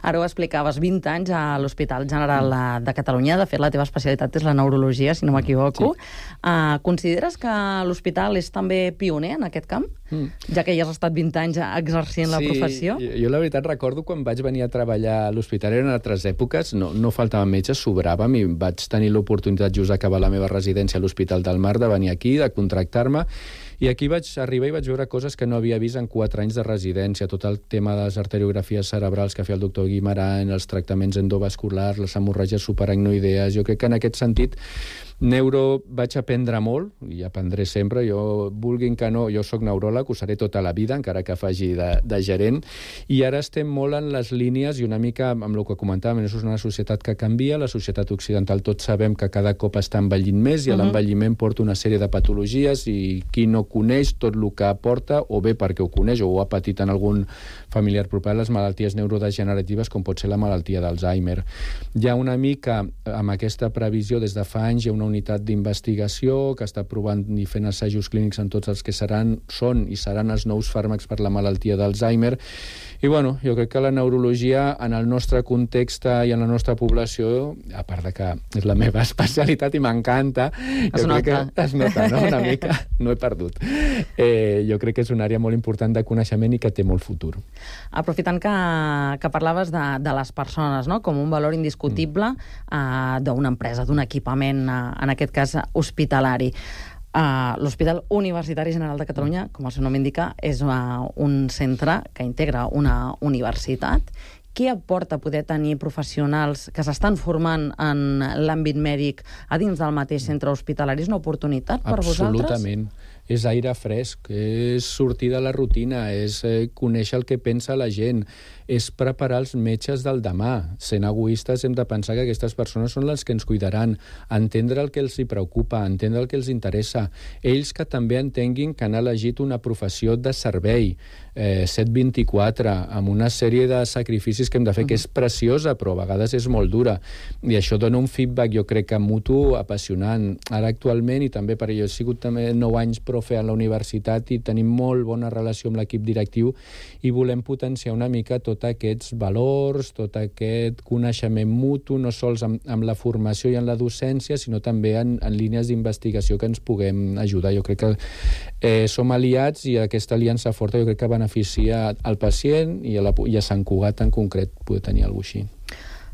Ara ho explicaves, 20 anys a l'Hospital General de Catalunya. De fet, la teva especialitat és la neurologia, si no m'equivoco. Consideres que l'hospital és també pioner en aquest camp? Ja que ja has estat 20 anys exercint la professió? Sí, jo la veritat recordo quan vaig venir a treballar a l'hospital, eren altres èpoques, no faltaven metges, sobràvem, i vaig tenir l'oportunitat just d'acabar la meva residència a l'Hospital del Mar, de venir aquí, de contractar-me, i aquí vaig arribar i vaig veure coses que no havia vist en 4 anys de residència, tot el tema de les arteriografies cerebrals que feia el doctor Guimarães, els tractaments endovasculars, les hemorràgies subaracnoidees. Jo crec que en aquest sentit neuro vaig aprendre molt, i aprendré sempre. Jo, vulguin que no, jo soc neuròleg, ho seré tota la vida, encara que faci de gerent, i ara estem molt en les línies, i una mica amb el que comentàvem, és una societat que canvia, la societat occidental tots sabem que cada cop està envellint més, i l'envelliment porta una sèrie de patologies, i qui no coneix tot el que aporta, o bé perquè ho coneix o ho ha patit en algun familiar proper, les malalties neurodegeneratives, com pot ser la malaltia d'Alzheimer. Hi ha una mica, amb aquesta previsió, des de fa anys, hi ha una una unitat d'investigació que està provant i fent assajos clínics en tots els que són i seran els nous fàrmacs per la malaltia d'Alzheimer. I bueno, jo crec que la neurologia en el nostre context i en la nostra població, a part de que és la meva especialitat i m'encanta, es nota, no? Una mica, no he perdut. Jo crec que és una àrea molt important de coneixement i que té molt futur. Aprofitant que parlaves de les persones, no? Com un valor indiscutible d'una empresa, d'un equipament, en aquest cas hospitalari. L'Hospital Universitari General de Catalunya, com el seu nom indica, és un centre que integra una universitat. Què aporta poder tenir professionals que s'estan formant en l'àmbit mèdic a dins del mateix centre hospitalari? És una oportunitat per vosaltres? Absolutament. És aire fresc, és sortir de la rutina, és conèixer el que pensa la gent, és preparar els metges del demà. Sent egoistes hem de pensar que aquestes persones són les que ens cuidaran, entendre el que els hi preocupa, entendre el que els interessa. Ells que també entenguin que han elegit una professió de servei, 7/24, amb una sèrie de sacrificis que hem de fer, que és preciosa, però a vegades és molt dura. I això dona un feedback, jo crec que mutu, apassionant. Ara actualment, i també per jo he sigut també 9 anys profe a la universitat i tenim molt bona relació amb l'equip directiu i volem potenciar una mica tots aquests valors, tot aquest coneixement mutu, no sols amb la formació i en la docència, sinó també en línies d'investigació que ens puguem ajudar. Jo crec que som aliats i aquesta aliança forta jo crec que beneficia al pacient i a Sant Cugat en concret poder tenir alguna cosa així.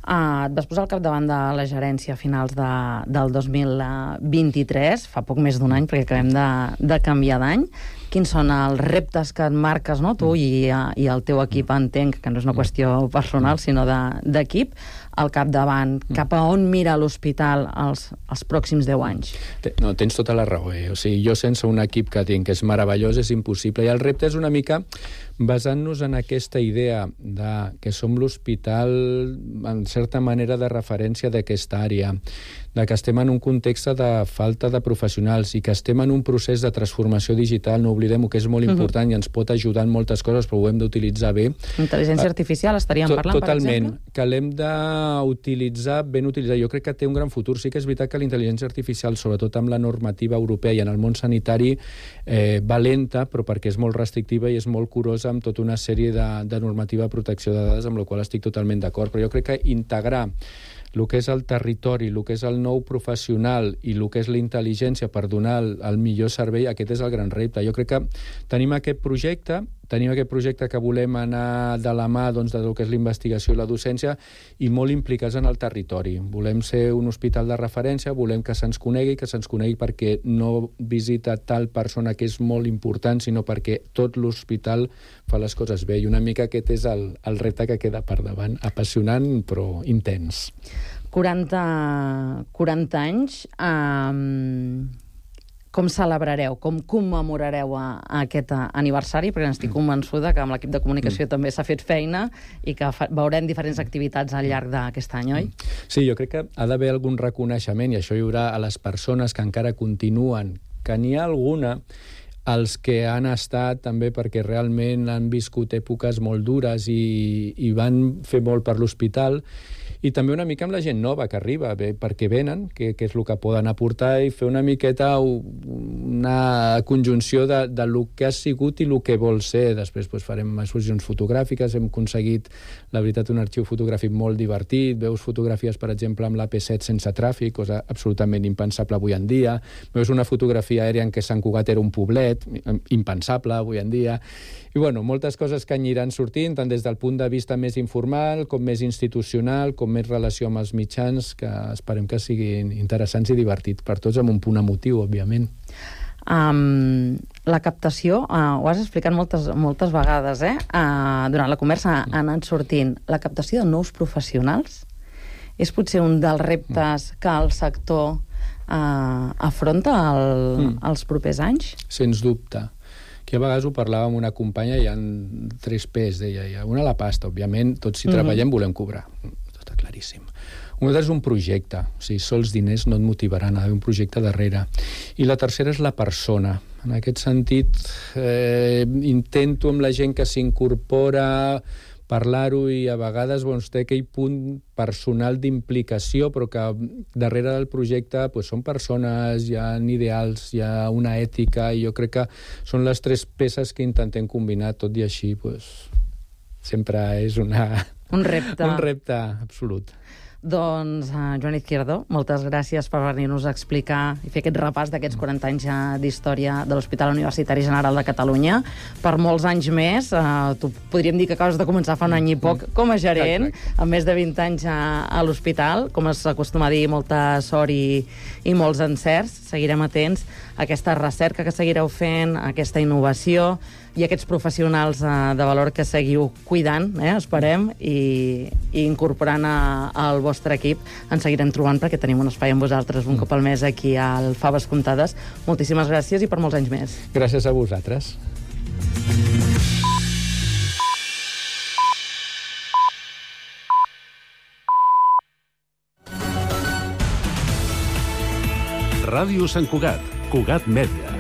Et vas posar al capdavant de la gerència a finals del 2023, fa poc més d'un any, perquè acabem de canviar d'any. Quins són els reptes que et marques, no? Tu i el teu equip, entenc que no és una qüestió personal, sinó d'equip, al capdavant? Cap a on mira l'hospital els pròxims 10 anys? No, tens tota la raó. O sigui, jo sense un equip que tinc, que és meravellós, és impossible. I el repte és una mica basant-nos en aquesta idea que som l'hospital, en certa manera, de referència d'aquesta àrea, de que estem en un context de falta de professionals i que estem en un procés de transformació digital, no oblidem-ho, que és molt important i ens pot ajudar en moltes coses, però ho hem d'utilitzar bé. Intel·ligència artificial, estaríem parlant, totalment, per exemple? Que l'hem d'utilitzar, ben utilitzar. Jo crec que té un gran futur. Sí que és veritat que la intel·ligència artificial, sobretot amb la normativa europea i en el món sanitari, va lenta, però perquè és molt restrictiva i és molt curosa amb tota una sèrie de normativa de protecció de dades, amb la qual estic totalment d'acord. Però jo crec que integrar el que és el territori, el que és el nou professional i el que és la intel·ligència per donar el millor servei, aquest és el gran repte. Jo crec que tenim aquest projecte que volem anar de la mà del que és la investigació i la docència i molt implicats en el territori. Volem ser un hospital de referència, volem que se'ns conegui perquè no visita tal persona que és molt important, sinó perquè tot l'hospital fa les coses bé. I una mica aquest és el repte que queda per davant. Apassionant, però intens. 40 anys... Com celebrareu, com commemorareu aquest aniversari? Perquè n'estic convençuda que amb l'equip de comunicació també s'ha fet feina i que veurem diferents activitats al llarg d'aquest any, oi? Sí, jo crec que ha d'haver algun reconeixement, i això hi haurà a les persones que encara continuen, que n'hi ha alguna, els que han estat també perquè realment han viscut èpoques molt dures i van fer molt per l'hospital, i també una mica amb la gent nova que arriba, perquè venen, que és el que poden aportar, i fer una miqueta una conjunció de lo que ha sigut i el que vol ser. Després farem exposicions fotogràfiques, hem aconseguit, la veritat, un arxiu fotogràfic molt divertit, veus fotografies, per exemple, amb l'AP7 sense tràfic, cosa absolutament impensable avui en dia, veus una fotografia aèria en què Sant Cugat era un poblet, impensable avui en dia, i moltes coses que aniran sortint, tant des del punt de vista més informal, com més institucional, com més relació amb els mitjans, que esperem que siguin interessants i divertits per tots, amb un punt emotiu, òbviament. La captació, ho has explicat moltes vegades, durant la conversa ha anat sortint. La captació de nous professionals és potser un dels reptes que el sector afronta els propers anys? Sens dubte. Que a vegades ho parlava amb una companya, hi ha 3 P's, deia. Una, la pasta, òbviament, tots si treballem volem cobrar. Està claríssim. Un altre és un projecte. O sigui, sols diners no et motivaran, ha d'haver un projecte darrere. I la tercera és la persona. En aquest sentit, intento amb la gent que s'incorpora parlar-ho i a vegades té aquell punt personal d'implicació, però que darrere del projecte són persones, hi ha ideals, hi ha una ètica, i jo crec que són les tres peces que intentem combinar, tot i així sempre és un repte. Un repte absolut. Doncs, Joan Izquierdo, moltes gràcies per venir-nos a explicar i fer aquest repàs d'aquests 40 anys d'història de l'Hospital Universitari General de Catalunya. Per molts anys més, tu podríem dir que acabes de començar fa un any i poc com a gerent, amb més de 20 anys a l'hospital, com es acostuma a dir, molta sort i molts encerts. Seguirem atents a aquesta recerca que seguireu fent, a aquesta innovació i aquests professionals de valor que seguiu cuidant, esperem, i incorporant al vostre equip. Ens seguirem trobant perquè tenim un espai amb vosaltres un cop al mes aquí al Faves Comptades. Moltíssimes gràcies i per molts anys més. Gràcies a vosaltres. Ràdio Sant Cugat, Cugat Mèdia.